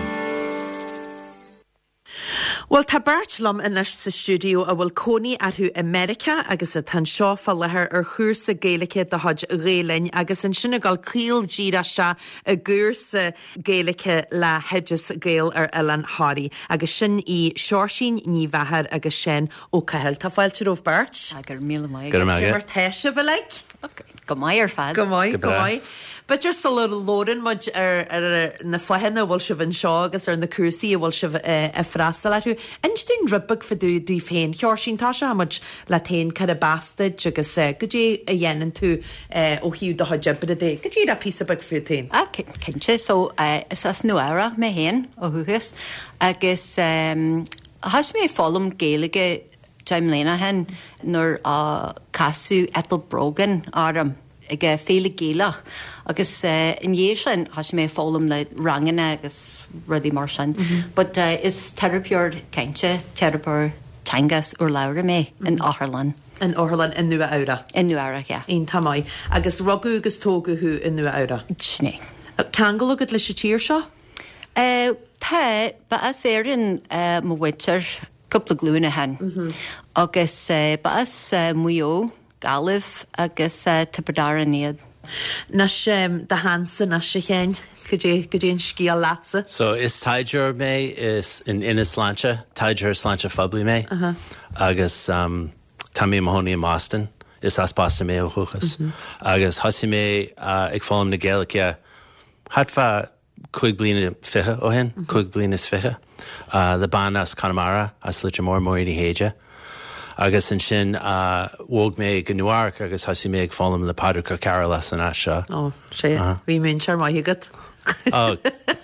Bhuel, tá beirt liom anois sa stiúideo a bhfuil cónaí orthu i Meiriceá agus atá anseo fá láthair ar chúrsa Gaeilge de chuid Ghael Linn agus ansin ag dul caol díreach isteach i gcúrsa Gaeilge le hOideas Gael ar Oileán Thoraí agus sin í Seoirsín Ní Mheachair agus Seán Ó Cathail. Tá fáilte romhaibh beirt. Go raibh míle maith agat. Cad é mar tá sibh uilig? Go maith ar fad. Go maith, go maith. B'fhéidir sula labhrann muid ar na fáthanna a bhfuil sibh anseo agus ar na cúrsaí a bhfuil sibh ag freastal orthu, inis dúinn rud beag fá dtaobh daoibh féin. Sheoirsín, tosóidh muid leat féin, cárb as duit agus goidé a dhéanann tú ó thaobh do chuid oibre de. Go díreach píosa beag fút féin. Ah, cinnte. So, is as Nua Eabhrac mé féin ó dhúchas agus thosaigh mé ag foghlaim Gaeilge 10 mbliana ó shin nuair a casadh Ethel Brogan orm ag Féile Gaelach agus i ndiaidh sin thosaigh mé ag foghlaim le ranganna agus rudaí mar sin. But is teiripeoir cainte, teiripeoir teanga is urlabhra mé in otharlann. In otharlann i Nua Eabhrac? I Nua Eabhrac, yeah. Iontach maith. Agus rugadh agus tógadh thú i Nua Eabhrac? Sin é. Ceangal agat leis an tír seo? Tá, ba as Éirinn mo mhuintir. cúpla glúin ó shin agus ba as Maigh Eo, Gaillimh agus Tiobraid Árann iad. Anois do sheansa anois a Sheáin, cad é an scéal leatsa? So is taighdeoir mé is in Ionad Sláinte, taighdeoir sláinte phoiblí mé agus tá mé i mo chónaí i mBoston, is as Boston mé ó dhúchas agus thosaigh mé ag foghlaim na Gaeilge thart fá 25 bliana ó shin, 25 bliana, le bean as Conamara, as Leitir Móir, Máirín Uí Shéide. Agus ansin bhog mé go Nua Eabhrac agus thosaigh mé ag foghlaim le Pádraig Ó Cearúil as an áit seo. Ó, sea, bhí múinteoir maith agat. Ó,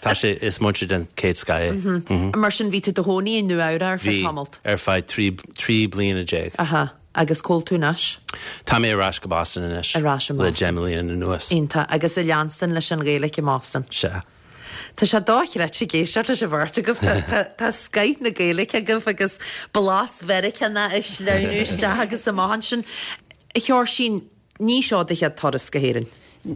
tá sé, is múinteoir den chéad scoth é. Mar sin, bhí tú i do chónaí i Nua Eabhrac ar feadh tamalt? Bhí, ar feadh 13 bliana. Aha. Agus cá bhfuil tú anois? Tá mé ar ais go Boston anois. Ar ais i Boston. Le 10 mbliana anuas. Iontach. Agus ag leanstan leis an Ghaeilge i mBoston? Sea. Tá sé dochreidte ag éisteacht leis an bheirt agaibh. Tá scoith na Gaeilge agaibh agus blas Mheiriceánach ag sleamhnú isteach agus amach ansin. A Sheoirsín, ní seo do chéad turas go hÉirinn?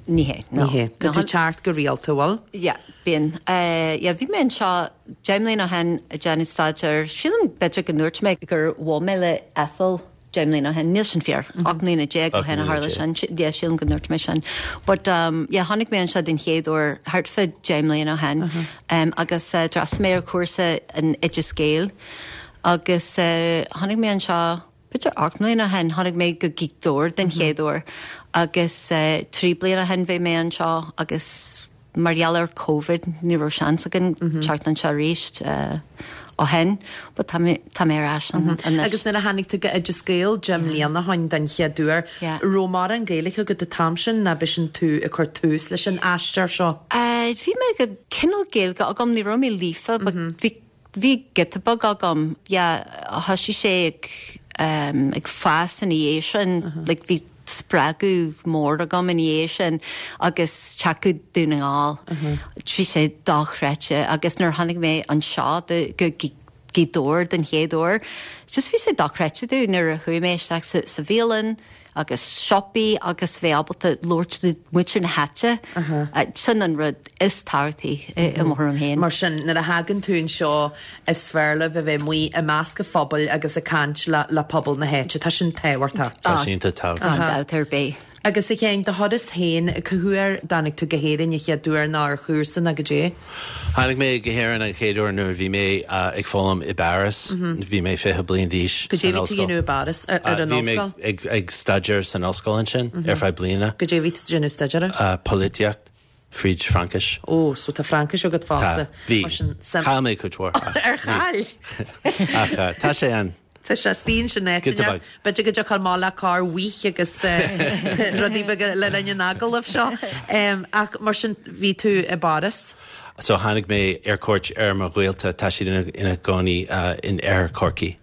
Ní hé, no. Ní hé. Tá tú ag teacht go rialta, bhfuil? Yeah, bíonn. Yeah, bhí mé anseo 10 mbliana ó shin ag déanamh staidéir. Sílim b'fhéidir go ndúirt mé gur bhuail mé le Ethel 10 mbliana ó shin. Níl sin fíor. 18 mbliana ó shin a tharla sin. Yeah, sílim go ndúirt mé sin. But, yeah, tháinig mé anseo den chéad uair thart fá 10 mbliana ó shin agus d'fhreastail mé ar chúrsa in Oideas Gael agus tháinig mé anseo B'fhéidir 8 mbliana ó shin, tháinig mé go Gaoth Dobhair den chéad uair agus 3 bliana ó shin bhí mé anseo agus mar gheall ar Covid ní raibh seans againn teacht anseo arís ó shin but tá mé tá mé ar ais anois. Agus nuair a tháinig tú go Oideas Gael 10 mbliana ó shin den chéad uair, raibh mórán Gaeilge agat an t-am sin nó b'shin tú ag cur tús leis an aistear seo? Bhí mé go cineál Gaeilge agam, ní raibh mé líofa but bhí Bhí giota beag agam, yeah, thosaigh sé ag ehm ag fás ina dhiaidh sin, like bhí spreagadh mór agam ina dhiaidh sin agus teacht go Dún na nGall, bhí sé dochreidte agus nuair a tháinig mé anseo do go Gaoth Dobhair den chéad uair, just bhí sé dochreidte domh nuair a chuaigh mé isteach sa sa bhialann, agus siopaí agus bheith ábalta labhairt le muintir na háite, sin an rud is tábhachtaí i mo thuairim féin. Mar sin, nuair a thagann tú anseo, is fearr libh a bheith amuigh i measc an phobail agus ag caint le pobal na háite. Tá sin tábhachtach. Tá sin iontach tábhachtach. Gan dabht ar bith. Agus a Sheáin, do thuras féin, cá huair a dtáinig tú go hÉirinn an chéad uair nó ar chúrsa nó goidé? Tháinig mé go hÉirinn an chéad uair nuair a bhí mé ag foghlaim i bPáras. Bhí mé 20 bliain d'aois san ollscoil. Goidé bhí tú a dhéanamh i bPáras, ar an ollscoil? Bhí mé ag staidéar san ollscoil ansin ar feadh bliana. Goidé bhí tú ag déanamh staidéar air? Polaitíocht, fríd Fraincis. Ó, so tá Fraincis agat fosta. Tá, bhí. Chaill mé cuid mhór. Ar chaill? Ach tá sé ann. Tá sé istigh ansin áit inteacht. B'fhéidir go dtiocfá amach le carr bhuí agus rudaí beaga le linn an agallaimh seo. Ach mar sin, bhí tú i bPáras. So tháinig mé ar cuairt ar mo ghaolta, tá siad ina gcónaí in oirthear Chorcaí.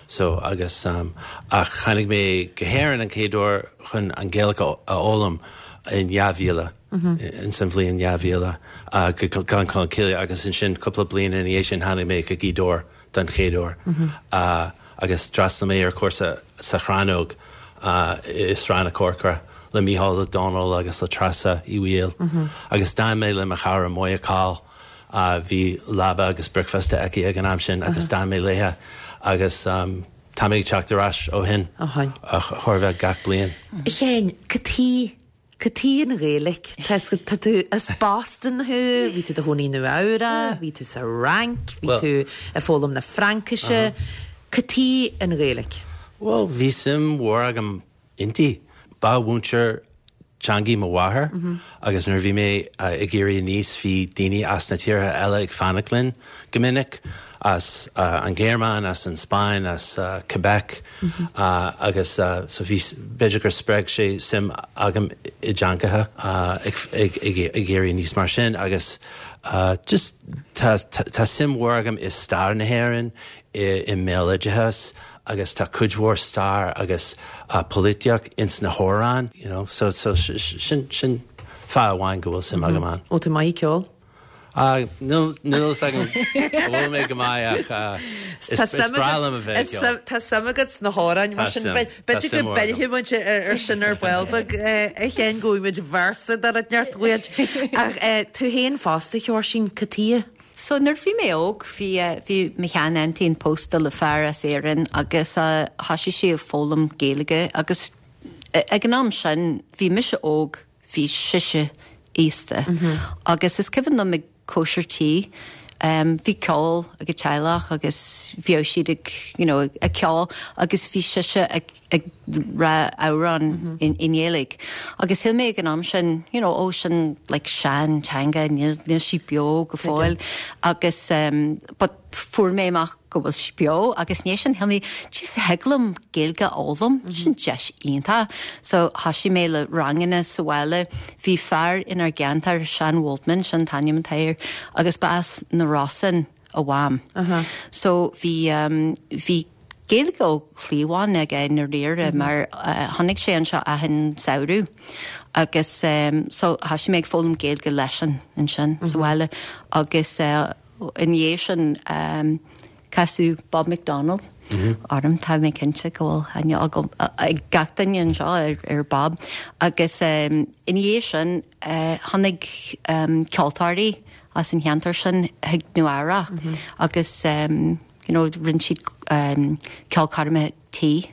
So agus ach tháinig mé go hÉirinn an chéad uair chun an Ghaeilge a fhoghlaim in 2000, ins an bhliain 2000, go Gleann Cholm Cille agus ansin cúpla bliain ina dhiaidh sin tháinig mé go Gaoth Dobhair. den chéad uair agus d'fhreastail mé ar chúrsa sa Chrannóg i Srath na Corcra le Mícheál Ó Domhnaill agus le Treasa Uí Bhaoill agus d'fhan mé le mo chara Moya Coll, bhí leaba agus bricfeasta aici ag an am sin agus d'fhan mé léithe agus tá mé ag teacht ar ais ó shin, chóir a bheith gach bliain. A Sheáin, cad chuige Cad chuige an Ghaeilge? Tá tá tú as Boston thú, bhí tú i do chónaí i Nua Eabhrac, bhí tú sa Fhrainc, bhí tú ag foghlaim na Fraincise. Cad chuige an Ghaeilge? Bhuel, bhí suim mhór agam inti. Ba mhúinteoir teangaí mo mháthair agus nuair a bhí mé ag éirí aníos bhí daoine as na tíortha eile ag fanacht linn go minic, as an Ghéarmáin, as an Spáinn, as Quebec. Agus so bhí, b'fhéidir gur spreag sé suim agam i dteangacha ag éirí aníos mar sin agus just tá tá suim mhór agam i stair na hÉireann, i mbéaloideas agus tá cuid mhór stair agus polaitíocht ins na hamhráin, you know, so so sin sin fáth amháin go bhfuil suim agam ann. Bhfuil tú maith ag ceol? Níl a fhios agam an bhfuil mé go maith ach is breá liom a bheith ag ceol. Tá suim agat sna hamhráin mar sin b'fhéidir go bpillfidh muid ar sin ar ball beag a Sheáin go bhfaighidh muid véarsa de rud inteacht uait. Ach tú féin fosta, a Sheoirsín, cad chuige? So nuair a bhí mé óg bhí bhí mo shean-aintín pósta le fear as Éirinn agus thosaigh sí ag foghlaim Gaeilge agus ag an am sin bhí mise óg bhí sise aosta agus is cuimhin liom ag cóisir tí bhí ceol ag an teaghlach agus bhíodh siad ag you know ag ceol agus bhí sise ag ag rá amhrán i nGaeilge agus shíl mé ag an am sin you know ó sin like sean teanga níl níl sí beo go fóill agus but fuair mé amach go bhfuil sí beo agus ina dhiaidh sin shíl mé jeez thig liom Gaeilge a fhoghlaim, sin deis iontach. So thosaigh mé le ranganna sa bhaile, bhí fear inár gceantar, Seán Waldman, sin an t-ainm atá air, agus ba as na Rosann a mham. So bhí bhí Gaeilge ó chliabhán aige i ndáiríre mar tháinig sé anseo achan samhradh agus so thosaigh mé ag foghlaim Gaeilge leisean ansin sa bhaile agus ina dhiaidh sin casadh Bob McDonald. orm. Tá mé cinnte go bhfuil aithne agam ag gach duine anseo ar Bob. Agus ina dhiaidh sin tháinig ceoltóirí as an cheantar sin chuig Nua Eabhrac agus you know rinne siad ceolchoirmeacha tí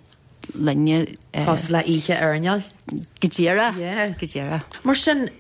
linne. Cosúil le oíche airneáil. Go díreach. Yeah. Go díreach. Mar sin,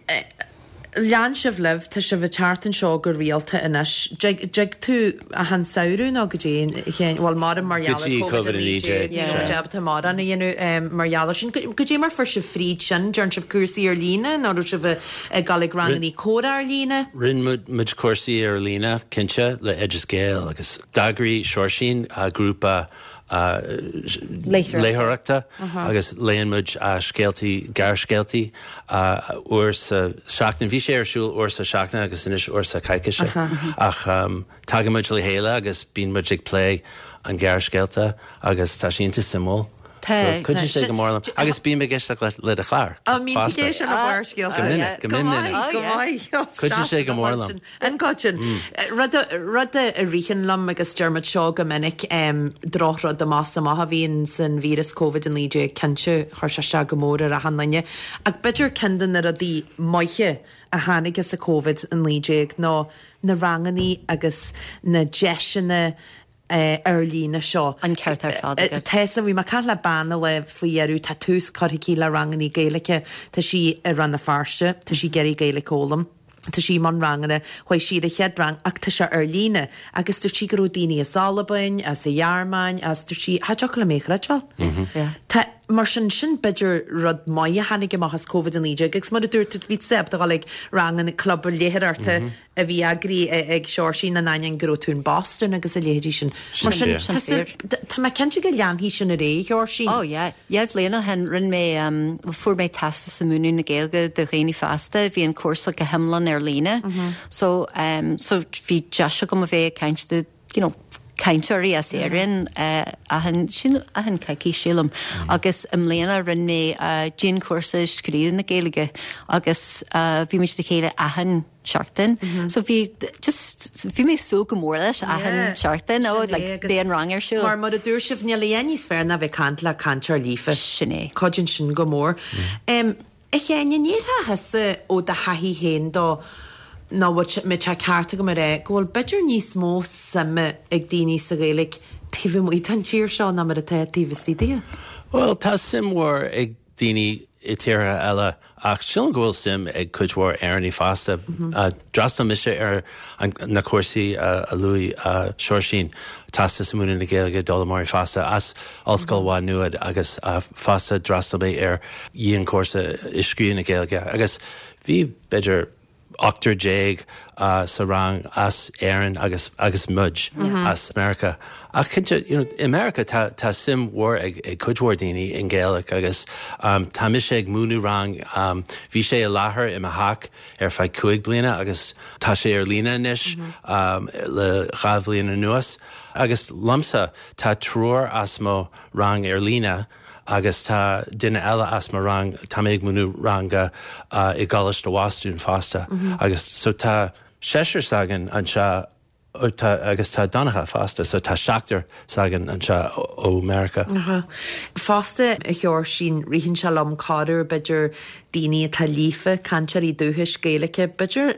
lean sibh libh, tá sibh ag teacht anseo go rialta anois. Dtig tú achan samhradh nó goidé, a Sheáin, bhuel maram mar gheall ar Covid-19, ní raibh muid ábalta mórán a dhéanamh mar gheall air sin. Goidé mar fuair sibh fríd sin, dearn sibh cúrsaí ar líne nó raibh sibh ag dul ag rangannaí comhrá ar líne? Rinne muid cúrsaí ar líne, cinnte, le Oideas Gael agus d'eagraigh Seoirsín grúpa léitheoireachta agus léann muid scéaltaí, gearrscéaltaí uair sa seachtain. Bhí sé ar siúl uair sa seachtain agus anois uair sa choicíse ach tagann muid le chéile agus bíonn muid ag plé an gearrscéalta agus tá sé iontach suimiúil. So cuidíonn sé go mór liom agus bím ag éisteacht le do chlár fosta. Go minic, go minic. Go maith. Cuidíonn sé go mór liom. An gcoiteann. Rud rud a ritheann liom agus deir muid seo go minic, drochrud amach is amach a bhíonn san víreas Covid-19, cinnte, chuir sé isteach go mór ar achan duine, ach b'fhéidir ceann de na rudaí maithe a tháinig as an Covid-19 ná na rangannaí agus na deiseanna ar líne seo. An ceart ar fad agat. Tá san, bhí mé ag caint le bean an lá faoi dheireadh, tá tús curtha aici le rangannaí Gaeilge, tá sí i Rann na Feirste, tá sí ag iarraidh Gaeilge a fhoghlaim. Tá sí i mbun ranganna, chuaigh sí ar a chéad rang ach tá sé ar líne agus dúirt sí go raibh daoine as Albain, as an Ghearmáin, as, dúirt sí, cha dtiocfadh liom é a chreidbheáil. Tá, mar sin, sin b'fhéidir rud maith a tháinig amach as Covid-19 agus mar a dúirt tú, bhí tusa ábalta dul ag ranganna club léitheoireachta a bhí eagraithe ag Seoirsín in ainneoin go raibh tú in Boston agus a leithéidí sin. Mar sin, tá mé cinnte go leanfaidh sin ar aghaidh, a Sheoirsín. Oh yeah. Dhá bhliain ó shin, rinne mé, bhuel fuair mé teastas i múineadh na Gaeilge do dhaoine fásta, bhí an cúrsa go hiomlán ar líne. So, so bhí deis agam a bheith ag caint do, you know, cainteoirí as Éirinn achan, sin achan coicís sílim. Agus i mbliana rinne mé dianchúrsa scríobh na Gaeilge agus bhí muid le chéile achan seachtain. So bhí just bhí mé ag súil go mór leis achan seachtain ó like beidh an rang ar siúl. Mar mar a dúirt sibh níl a dhath níos fearr ná bheith ag caint le cainteoir líofa. Sin é. Cuidíonn sin go mór. A Sheáin, an ndéarfá thusa ó do thaithí féin dó nó bhfuil mbeadh sé ceart agam a rá go bhfuil b'fhéidir níos mó suime ag daoine sa Ghaeilge taobh amuigh den tír seo ná mar atá taobh istigh di? Bhuel, tá suim mhór ag daoine i tíortha eile ach sílim go bhfuil suim ag cuid mhór Éireannaigh fosta. D'fhreastail mise ar na cúrsaí a luaigh Seoirsín, Teastas i Múineadh na Gaeilge d'Fhoghlaimeoirí Fásta as Ollscoil Mhá Nuad agus fosta d'fhreastail mé ar dhianchúrsa i scríobh na Gaeilge agus bhí b'fhéidir 18 sa rang as Éirinn agus agus muid as Meiriceá. Ach cinnte, you know, i Meiriceá tá tá suim mhór ag ag cuid mhór daoine i nGaeilge agus tá mise ag múineadh rang, bhí sé i láthair i mo theach ar feadh cúig bliana agus tá sé ar líne anois le dhá bhliain anuas agus liomsa tá triúr as mo rang ar líne agus tá duine eile as mo rang, tá mé ag múineadh ranga i gColáiste Bhostún fosta agus so tá seisear s'againn anseo tá agus tá Donncha fosta so tá seachtar s'againn anseo ó Meiriceá. Fosta, a Sheoirsín, ritheann sé liom corruair b'fhéidir daoine atá líofa, cainteoirí dúchais Gaeilge, b'fhéidir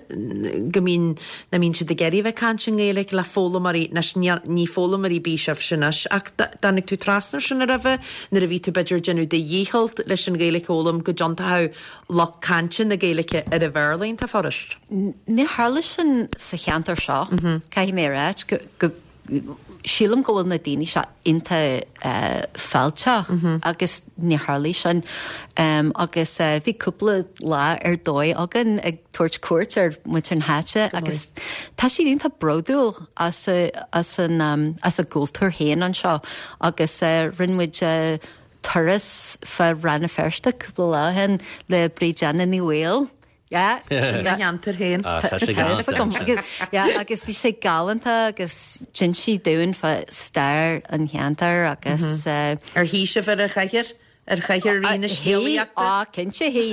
go mbíonn, nach mbíonn siad ag iarraidh a bheith ag caint i nGaeilge le foghlaimeoirí, anois níl, ní foghlaimeoirí ar bith sibhse anois, ach dtáinig tú trasna air sin roimhe, nuair a bhí tú b'fhéidir ag déanamh do dhícheall leis an Ghaeilge a fhoghlaim go dtiontódh lucht cainte na Gaeilge ar an Bhéarla iontach furast. Níor tharla sin sa cheantar seo, caithfidh mé a rá, go. Sílim go bhfuil na daoine seo iontach fáilteach agus níor tharlaigh sin. Agus bhí cúpla lá ar dóigh againn ag tabhairt cuairt ar muintir na háite agus tá siad iontach bródúil as as an as a gcultúr féin anseo agus rinne muid turas fá Rann na Feirste cúpla lá ó shin le Bríd Anna Ní Bhaoill. Yeah. Sin mo cheantar féin. Ah, tá sé galánta ansin. Yeah, agus bhí sé galánta agus d'inis sí dúinn fá stair an cheantair agus. Ar shuigh sibh ar an chathaoir? Ar chathaoir Rí na Scéalaíochta? Á, cinnte, hí.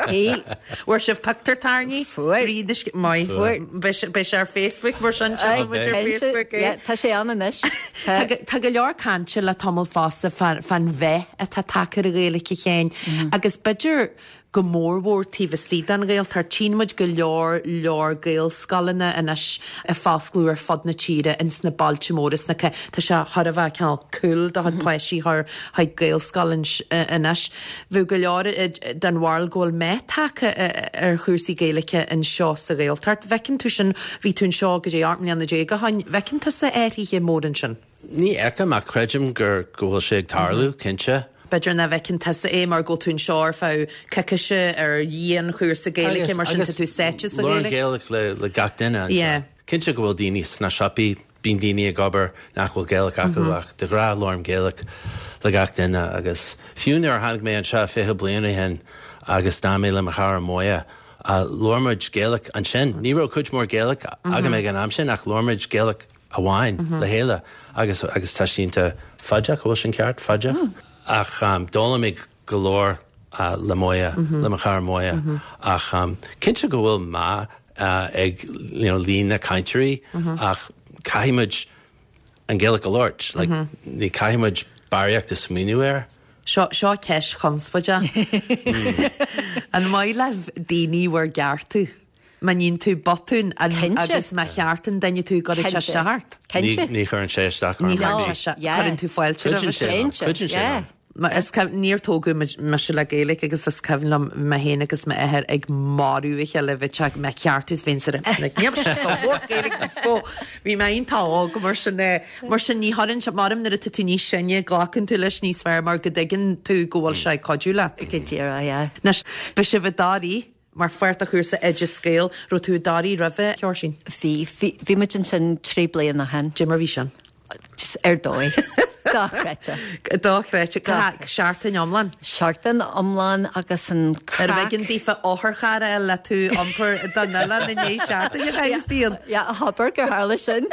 Hí. Bhfuair sibh pictiúr tairní? Fuair. Rí na Scéalaíochta. Maith. Fuair. Beidh sé ar Facebook mar sin, tchífidh muid ar Facebook é. Tá sé ann anois. Tá go leor cainte le tamall fosta fán mheath atá tagtha ar an Ghaeilge a Sheáin agus b'fhéidir go mórmhór taobh istigh den Ghaeltacht. Tchíonn muid go leor leor Gaelscoileanna anois ag foscladh ar fud na tíre ins na bailte móra sna Tá sé thar a bheith cineál cool do chuid páistí a chur chuig Gaelscoil anois. Bheadh go leor den bharúil go bhfuil meath tagtha ar chúrsaí Gaeilge anseo sa Ghaeltacht. Bhfeiceann tú sin, bhí tú anseo go dtí 18 mbliana ó shoin, bhfeiceann tusa athruithe móra ansin? Ní fheicim ach creidim gur go bhfuil sé ag tarlú, cinnte. B'fhéidir nach bhfeiceann tusa é mar go bhfuil tú anseo ar feadh coicíse ar dhianchúrsa Gaeilge mar sin tá tú sáite sa Ghaeilge. Labhraím Gaeilge le gach duine anseo. Yeah. Cinnte go bhfuil daoine sna siopaí, bíonn daoine ag obair nach bhfuil Gaeilge acu ach de ghnáth labhraím Gaeilge le gach duine agus fiú nuair a tháinig mé anseo 20 bliain ó shin agus d'fhan mé le mo chara Moya, labhair muid Gaeilge ansin. Ní raibh cuid mhór Gaeilge agam ag an am sin ach labhair muid Gaeilge amháin le chéile agus agus tá sé iontach faideach, bhfuil sin ceart? Faideach? Ach d'fhoghlaim mé go leor le Moya, le mo chara Moya ach cinnte go bhfuil meath ag you know líon na cainteoirí ach caithfidh muid an Ghaeilge a labhairt, like ní caithfidh muid barraíocht a smaoineamh air. Seo, seo ceist chonspóideach. An maith libh daoine bhur gceartú? Má níonn tú botún agus má cheartann duine tú an gcuireann sé isteach ort. Cinnte. Ní chuireann sé isteach orm. Ní chuireann sé isteach. Cuireann tú fáilte roimhe sin. Cuidíonn sé liom. Is cuimhin, níor tógadh mise le Gaeilge agus is cuimhin liom mé féin agus m'athair ag marú a chéile, bhí sé ag ceartú is bhínn sa like níl mise go leor Gaeilge níos mó. Bhí mé iontach óg mar sin mar sin ní chuireann sé, maram nuair atá tú níos sine glacann tú leis níos fearr mar go dtuigeann tú go bhfuil sé ag cuidiú leat. Go díreach, yeah. Anois, beidh sibh i dToraí Mar pháirt de chúrsa Oideas Gael, raibh tú i dToraí roimhe, a Sheoirsín? Bhí, bhí, bhí muid ansin 3 bliana ó shin. Cad é mar bhí sin? Just ar dóigh. Dochreidte. Dochreidte. Seachtain iomlán? Seachtain iomlán agus an craic. Arbh éigean daofa otharcharr a fháil le tú a iompar don oileán i ndiaidh seachtaine a chaitheamh istigh ann? Yeah, abair gur tharla sin.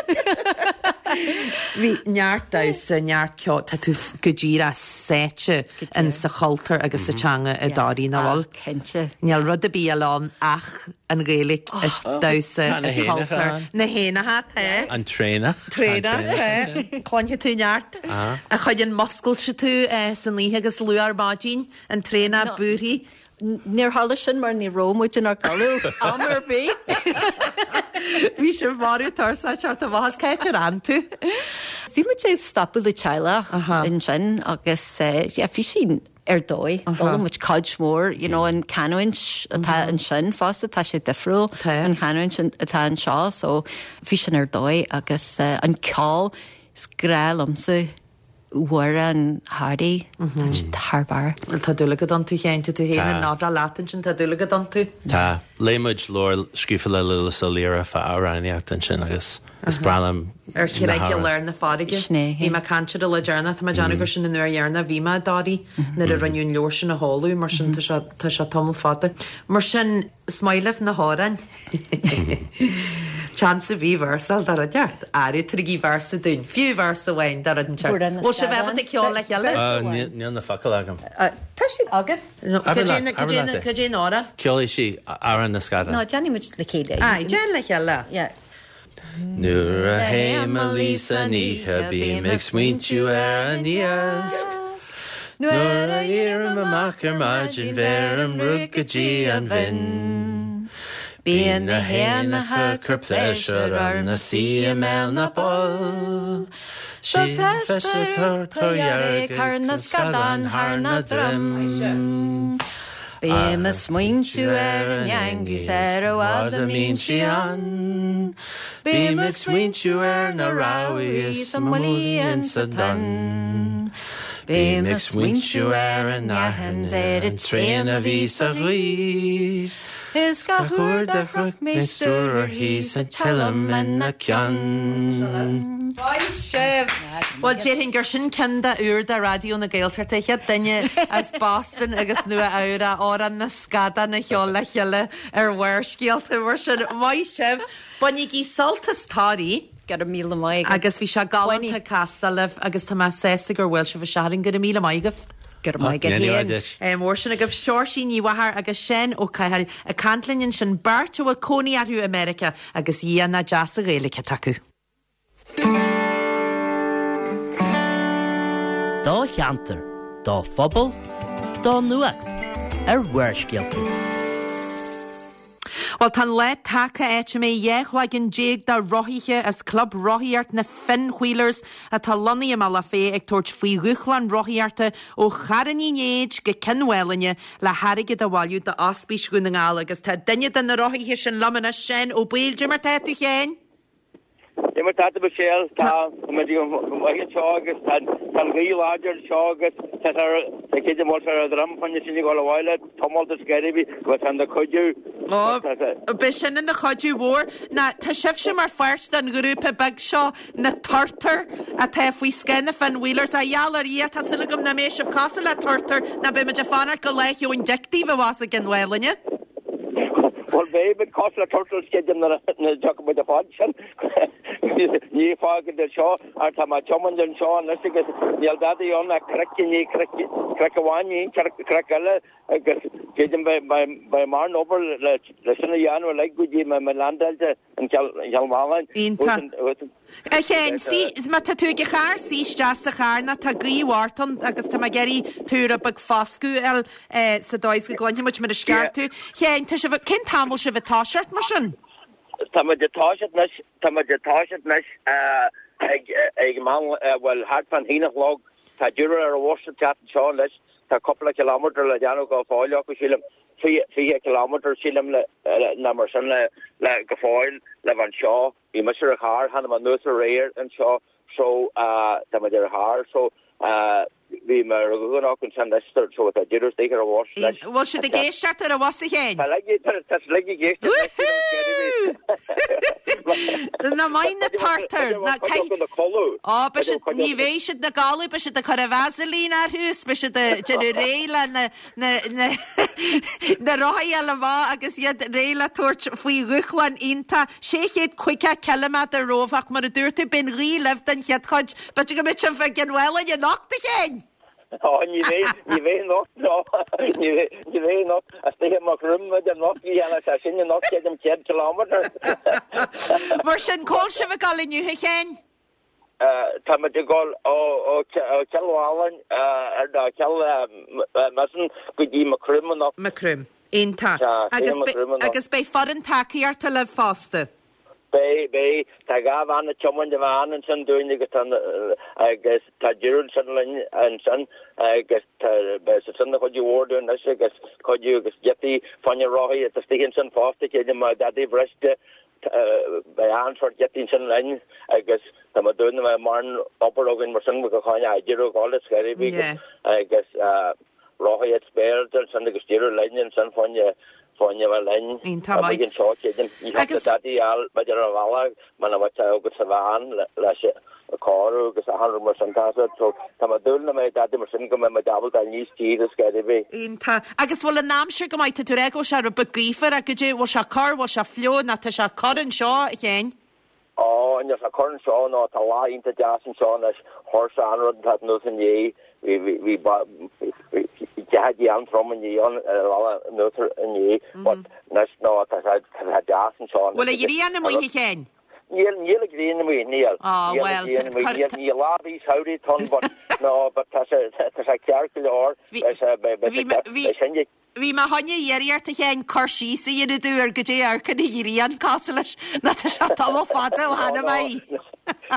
Bhí neart damhsa, neart ceoil, tá tú go díreach sáite in sa chultúr agus sa teanga i dToraí, nach bhfuil? Cinnte. Níl rud ar bith eile ann ach an Ghaeilge, is damhsa, is cultúr. Na héanacha, tá. An traonach. Traonach, tá. Cluinfidh tú neart. A chuireann múscailte tú san oíche agus luath ar maidin, an traonach buartha. Níor tharla sin mar ní raibh muid inár gcodladh am ar bith. Bhí sibh marbh tuirseach ag teacht amach as cá háit ar fhan tú? Bhí muid ag stopadh le teaghlach ansin agus yeah bhí sí ar dóigh. D'fhoghlaim muid cuid mhór, you know, an canúint atá ansin fosta, tá sé difriúil an chanúint atá anseo, so bhí sin ar dóigh agus an ceol, is grá liomsa amhráin Thoraí, tá siad thar barr. Tá dúil agat iontu féin, tá tú féin ag nodáil leat ansin, tá dúil agat iontu. Tá. Léigh muid leabhar scríofa le Lúlas Ó Laoire fá amhránaíocht ansin agus Is breá liom Ar charraig i lár na farraige. Sin é. Bhí mé ag caint air an lá deireanach, tá mé ag déanamh gur sin an uair dheireanach a bhí mé i dToraí nuair a rinneadh an leabhar sin a sheoladh, mar sin tá sé, tá sé tamall fada. Mar sin, is maith libh na hamhráin. Seans ar bith véarsa de rud inteacht. Arú, tabhairigí véarsa dúinn, fiú véarsa amháin de rud inteacht. Bhfuil sibh ábalta ceol le chéile? Níl na focail agam. Tá siad agat. Cad é an amhrán? Ceolfaidh sí Amhrán na Scadán. No, déanfaidh muid le chéile. Aye, déan le chéile. Yeah. Nuair a théim a luí san oíche bím ag smaointiú ar an iasc. Nuair a éirím amach ar maidin bheirim rud go dtí an bhinn. Bíonn na héanacha ag cur pléisiúr orm 'na suí i mbéal na bpoll. Sa feiste tordhearg thar na scadáin thar na droim. Bím ag smaointiú ar an eangaí 's ar a bhfad a mbíonn sí ann. Bím ag smaointiú ar na rabhaidh is an mbuillí insa dtonn. Bím ag smaointiú ar an aithne 's ar an traein a bhí sa ghaoth. Is gach uair do shroich mé stiúir uirthi 's an tseilm ina ceann. Maith sibh! Bhuel, déarfainn gur sin ceann de úr de Raidió na Gaeltachta, chéad duine as Boston agus Nua Eabhrac Amhrán na Scadán a cheol le chéile ar Bharrscéalta. Mar sin, maith sibh! Bainigí sult as Toraigh! Go raibh míle maith agat. Agus bhí sé galánta castáil libh agus tá mé sásta gur bhuail sibh isteach orainn. Go raibh míle maith agaibh! Go raibh maith agat Go ndéana féin. Mór sin agaibh Seoirsín Ní Mhachair agus Seán Ó Cathail ag caint linn ansin, beirt a bhfuil cónaí orthu i Meiriceá agus Dhia nach deas an Ghaeilge atá acu. Do cheantar, do phobal, do nuacht ar Bharrscéalta. Bhuel, tá an lá tagtha áit a mbeidh 12 cloigeann de rothaithe as Club Rothaíocht na Finn Wheelers atá lonnaithe i mBealach Féich ag tabhairt faoi dhúshlán rothaíochta ó Charn Uí Néid go Cionn Mhálanna le hairgead a bhailiú d'Ospís Dhún na nGall agus tá duine de na rothaithe sin liom anois, Seán Ó Baoill. Dé mar tá tú, a Sheáin? Dé mar tá tú, Michelle, tá muid go maith anseo agus tá an ghaoth láidir anseo agus tá sé ar, tá creidim go bhfuil sé ar a dhroim fá choinne sinn ag dul abhaile, tiomáint is gairbhe agus tá ina chuidiú. Ó, beidh sin ina chuidiú mhór. Ná, tá sibhse mar pháirt den ghrúpa beag seo, na Turtair, atá faoi scáth na Finn Wheelers. A gheall ar Dhia, tá súil agam nach mbeidh sibh cosúil le turtair, ná beidh muid ag fanacht go Lá Sheoin Dic daoibh abhus i gCionn Mhálanna. Bhuel, beidh muid cosúil le turtles creidim nuair a thiocfaidh muid a fad sin. Ní fágfaidh anseo ach tá mé ag tiomáint anseo anois agus níl dadaí ann ach cnoc i ndiaidh cnoic, cnoc amháin i ndiaidh cnoic eile agus creidim beidh mórán obair le sin a dhéanamh uilig go dtí mé landáilte in Cill Mhálanna. Iontach. A Sheáin, suigh, má tá tú ag an charr, suigh isteach sa charr nó tá gaoth mhór ann agus tá mé ag iarraidh tú rud beag foscadh a fháil sa dóigh is go gcluinfidh muid mar is ceart tú. Sheáin, tá sibh, cén t-am bhfuil sibh ag toiseacht mar sin? Tá muid ag toiseacht anois, tá muid ag toiseacht anois ag, ag meán, bhuel, thart fán haon a chlog. Tá deireadh ar an bhus ag teacht anseo anois, tá cúpla kilometre le déanamh go fóill acu, sílim. 20 kilometre, sílim, le, nó mar sin le, le, go fóill le bheith anseo. Bhí mise ar an charr, tháinig mé anuas aréir anseo so tá muid ar an charr so bhí mé ar an gcnoc ansin anois so tá deireadh istigh ar an bhus anois. Bhfuil siad ag éisteacht ar an bhus a Sheáin? Tá like tá tá siad like ag éisteacht anois Ná maith na turtair ná caith Ó beidh siad ní bheidh siad ina gcodladh beidh siad ag cur an Vaseline orthu is beidh siad ag déanamh réidh le na na rothaí a fháil amach agus iad réidh le tabhairt faoi dhúshlán iontach 650 ciliméadar romhaibh ach mar a dúirt tú, beidh an ghaoth libh don chéad chuid. B'fhéidir go mbeidh sibh i gCionn Mhálanna anocht, a Sheáin! Ó, ní bheidh, ní bheidh anocht, no. Ní bheidh, ní bheidh anocht. Istigh i Maigh Chromtha anocht, ní dhéanfaidh sé sin anocht, creidim, 100 kilometre. Mar sin, cá bhfuil sibh ag dul inniu, a Sheáin? Tá muid ag dul ó Chill Mhálanna ar nó Cill Mhiosáin go dtí Maigh Chromtha anocht. Maigh Chromtha. Iontach. Agus beidh foireann tacaíochta libh fosta? Beidh, beidh. Tá 2 bhean ag tiomáint an veain ansin dúinn agus tá agus tá deireadh ansin linn ansin agus tá beidh siad sin ina chuidiú mhór dúinn anois agus cuidiú agus giotaí fá choinne rothaí atá istigh ansin fosta creidim dadaí briste Beidh achan sórt giotaí ansin linn agus tá mé ag dúil go mbeidh mórán obair againn mar sin go choinne idir a dhul is ar bith agus rothaí at spare ansin agus deireadh linn ansin fá choinne fá choinne bheith linn. Iontach maith. Amuigh anseo creidim. Ní thiocfadh le dadaí a fháil b'fhéidir ar an bhealach muna mbeadh sé agat sa veain leis an cóiriú agus achan rud mar sin tá sé so tá mé ag dúil nach mbeidh dadaí mar sin go mbeidh muid ábalta níos tíre is ar bith. Iontach. Agus bhfuil an aimsir go maith? Tá tú ag rá go bhfuil sé rud beag gaofar ach goidé, bhfuil sé corr, bhfuil sé fliuch nó tá sé corr anseo, a Sheáin? Ó, níl sé corr anseo nó tá lá iontach deas anseo anois, chuir sé an rud atá anuas inné, bhí, bhí, bhí, bhí ceathair an-trom inné ann, anuas inné, but anois nó tá sé, tá sé deas anseo anois. Bhfuil an ghrian amuigh, a Sheáin? Níl, níl an ghrian amuigh, níl. Á, Níl an bhuel, ghrian amuigh, cuir, níl, níl lá ar bith samhraidh ann, but, no, but tá sé, tá sé ceart go leor, Bhí, beidh sé, beidh, beidh bhí, sé ceart, bhí, beidh sin, bhí mé chun a iarraidh ort, a Sheáin, cur síos a dhéanamh domh ar goidé amharc an ghrian cosúil leis, nó tá sé tamall fada ó no, chonaic no, mé í.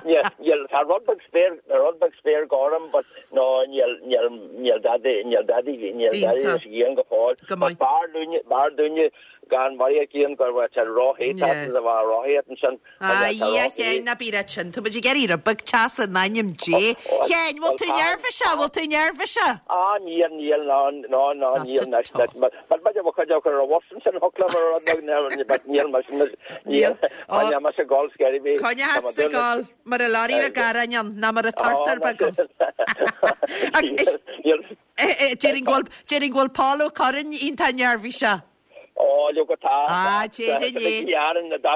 níl, níl, tá rud beag spéir, tá rud beag spéir gorm, but, no, níl, níl, níl dadaí, níl dadaí, níl dadaí Iontach. leis an ghrian go fóill, Go but maith. b'fhearr dúinne, b'fhearr dúinne Gan mhaith ag Ian go raibh sé róthe Yeah. a bheith rothaíocht ansin. Ah, a Dhia, a Sheáin, ná bí ag ráit sin. Tá muid ag iarraidh rud beag teasa in ainm Dé. Sheáin, bhfuil tú neirbhíseach? Bhfuil tú neirbhíseach? Ah, níl, níl, ná, ná, ná, Not níl, at anois, all. anois. But b'fhéidir bhfuil cuid acu ar an bhus ansin, thiocfadh liom a rud beag, níl, but níl mise, níl, Níl. Ó, níl mise ag gol scary bhí. Coinneoidh tú ag gol mar a lorry bheag aráin ann, ná mar a turtar beag ann. Níl, Déarfainn go bhfuil, déarfainn go bhfuil Paul Ó Curráin iontach neirbhíseach. Ó, leoga tá. Ah, déarfainn é.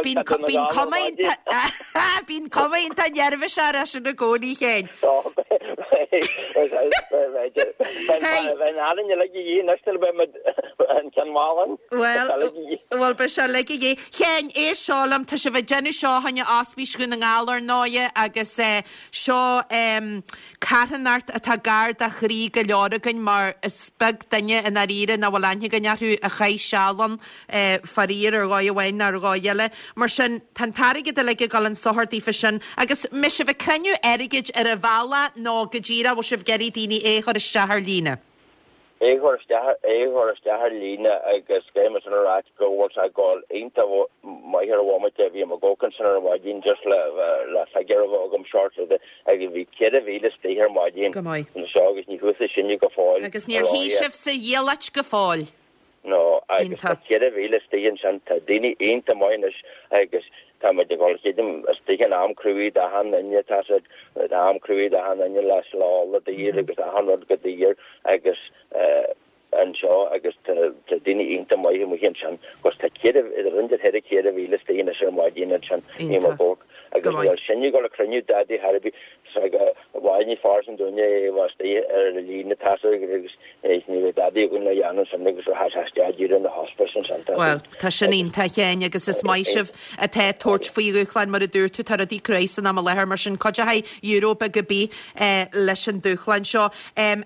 Bíonn bíonn cuma iontach bíonn cuma iontach neirbhíseach air sin i gcónaí, a Sheáin. Beidh an fhearainn uilig a dhíth anois nuair a bheidh muid an ceann mall ann. Bhuel, bhuel, beidh sé uilig a dhíth. Sheáin, éist seo liom, tá sibh ag déanamh seo fá choinne Ospís Dhún na nGall ar ndóighe agus seo carthanacht atá gar do chroí go leor againn mar is beag duine i ndáiríre nach bhfuil aithne againn orthu a chaith seal ann, faraor, ar dhóigh amháin nó ar dhóigh eile. Mar sin, tá an t-airgead uilig ag dul chun sochair daofa sin agus an mbeidh sibh ag cruinniú airgid ar an bhealach nó go díreach bhfuil sibh ag iarraidh daoine é a chur isteach ar líne? É a chur isteach, é a chur isteach ar líne agus caithfidh mé sin a ráit go bhfuil sé ag dul iontach maith ar an bhomaite. Bhí mé ag amharc ansin ar maidin just le le figiúr a bheith agam short agus bhí 4,000 istigh ar maidin Go maith. anseo agus ní chuaigh sinne go fóill Agus níor shuigh sibh sa diallait go fóill. No, agus tá Iontach. 4,000 istigh ansin, tá daoine iontach maith anois agus tá muid ag dul creidim istigh in am cruaidh d'achan duine, tá siad, tá am cruaidh d'achan duine le slá le daor agus achan rud go daor agus anseo agus tá daoine iontach maith amuigh ansin agus tá 4, idir roinnt ar 4,000 istigh anois ar maidin ansin, ní Iontach. mar bhóc Go agus maith. bhfuil sinne ag dul ag cruinniú dadaí thar a bith Bhail ní fearr san dúinne é bheith istigh ar an líne tosaigh agus ní bheidh dadaí againn le dhéanamh ansin agus tá sé isteach díreach na hospice ansin tá Bhuel, tá sin iontach, a Sheáin, agus is maith sibh atá ag tabhairt faoi dhúshlán, mar a dúirt tú, tá rudaí cruaidh san am i láthair, mar sin cuideochaidh euro beag ar bith leis an dúshlán seo.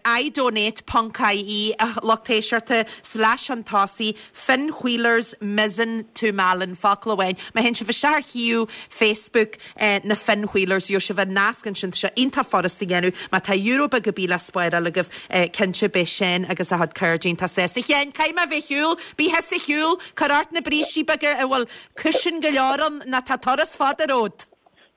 iDonate ponc ie, a lucht éisteachta, slash chun tosaigh, Finn Wheelers Mizen to Malin, focal amháin. Má théann sibh isteach ar shuíomh Facebook na Finn Wheelers, gheobhaidh sibh an nasc ansin. Tá sé iontach furasta a dhéanamh. Má tá euro beag ar bith le spáráil agaibh, cinnte beidh Seán agus a chuid cairde iontach sásta. A Sheáin, caithfidh mé a bheith ar shiúl. Bí thusa ar shiúl. Cuir ort na brístí beaga a bhfuil cúisín go leor ann nó tá turas fada romhat.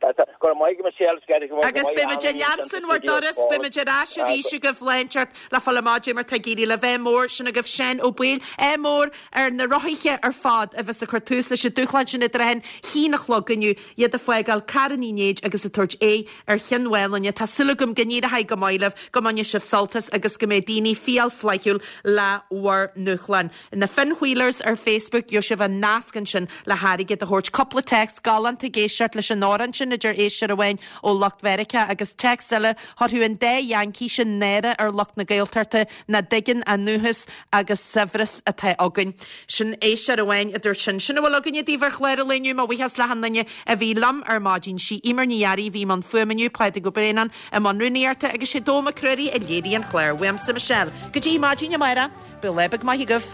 Go raibh maith agat Michelle, Agus beidh muid ag leanstan bhur dturas, beidh muid ar ais arís agaibh lá inteacht le fáil amach caidé mar tá ag éirí libh. Ádh mór, sin agaibh Seán Ó Baoill, ádh mór ar na rothaithe ar fad a bheas ag cur tús leis an dúshlán sin i dtrátha an haon a chlog inniu, iad ag fágáil Carn Uí Néid agus ag tabhairt aghaidh ar Chionn Mhálanna. Tá súil agam go n-éireoidh go maith libh, go mbainfidh sibh sult as agus go mbeidh daoine fial flaithiúil le bhur ndúshlán. Na Finn Wheelers ar Facebook, gheobhaidh sibh an nasc ansin le hairgead a thabhairt. Cúpla téacs galánta ag éisteacht leis an amhrán sin, a deir éisteoir amháin ó lucht Mheiriceá, agus téacs eile, chuirfeadh an dá Yankee sin náire ar lucht na Gaeltachta nach dtuigeann an dúchas agus saibhreas atá againn. Sin éisteoir amháin a dúirt sin. Sin a bhfuil againne daoibh ar chlár an lae inniu. Mo bhuíochas le hachan duine a bhí liom ar maidin. Sí Eimear Ní Fhearraigh a bhí i mbun fuaime inniu, Pádraig Ó Braonáin i mbun rúnaíochta agus sé Dónall Mac Ruairí a léirigh an clár. Uaimse Michelle. Go dtí maidin amárach. Bíodh lá beag maith agaibh.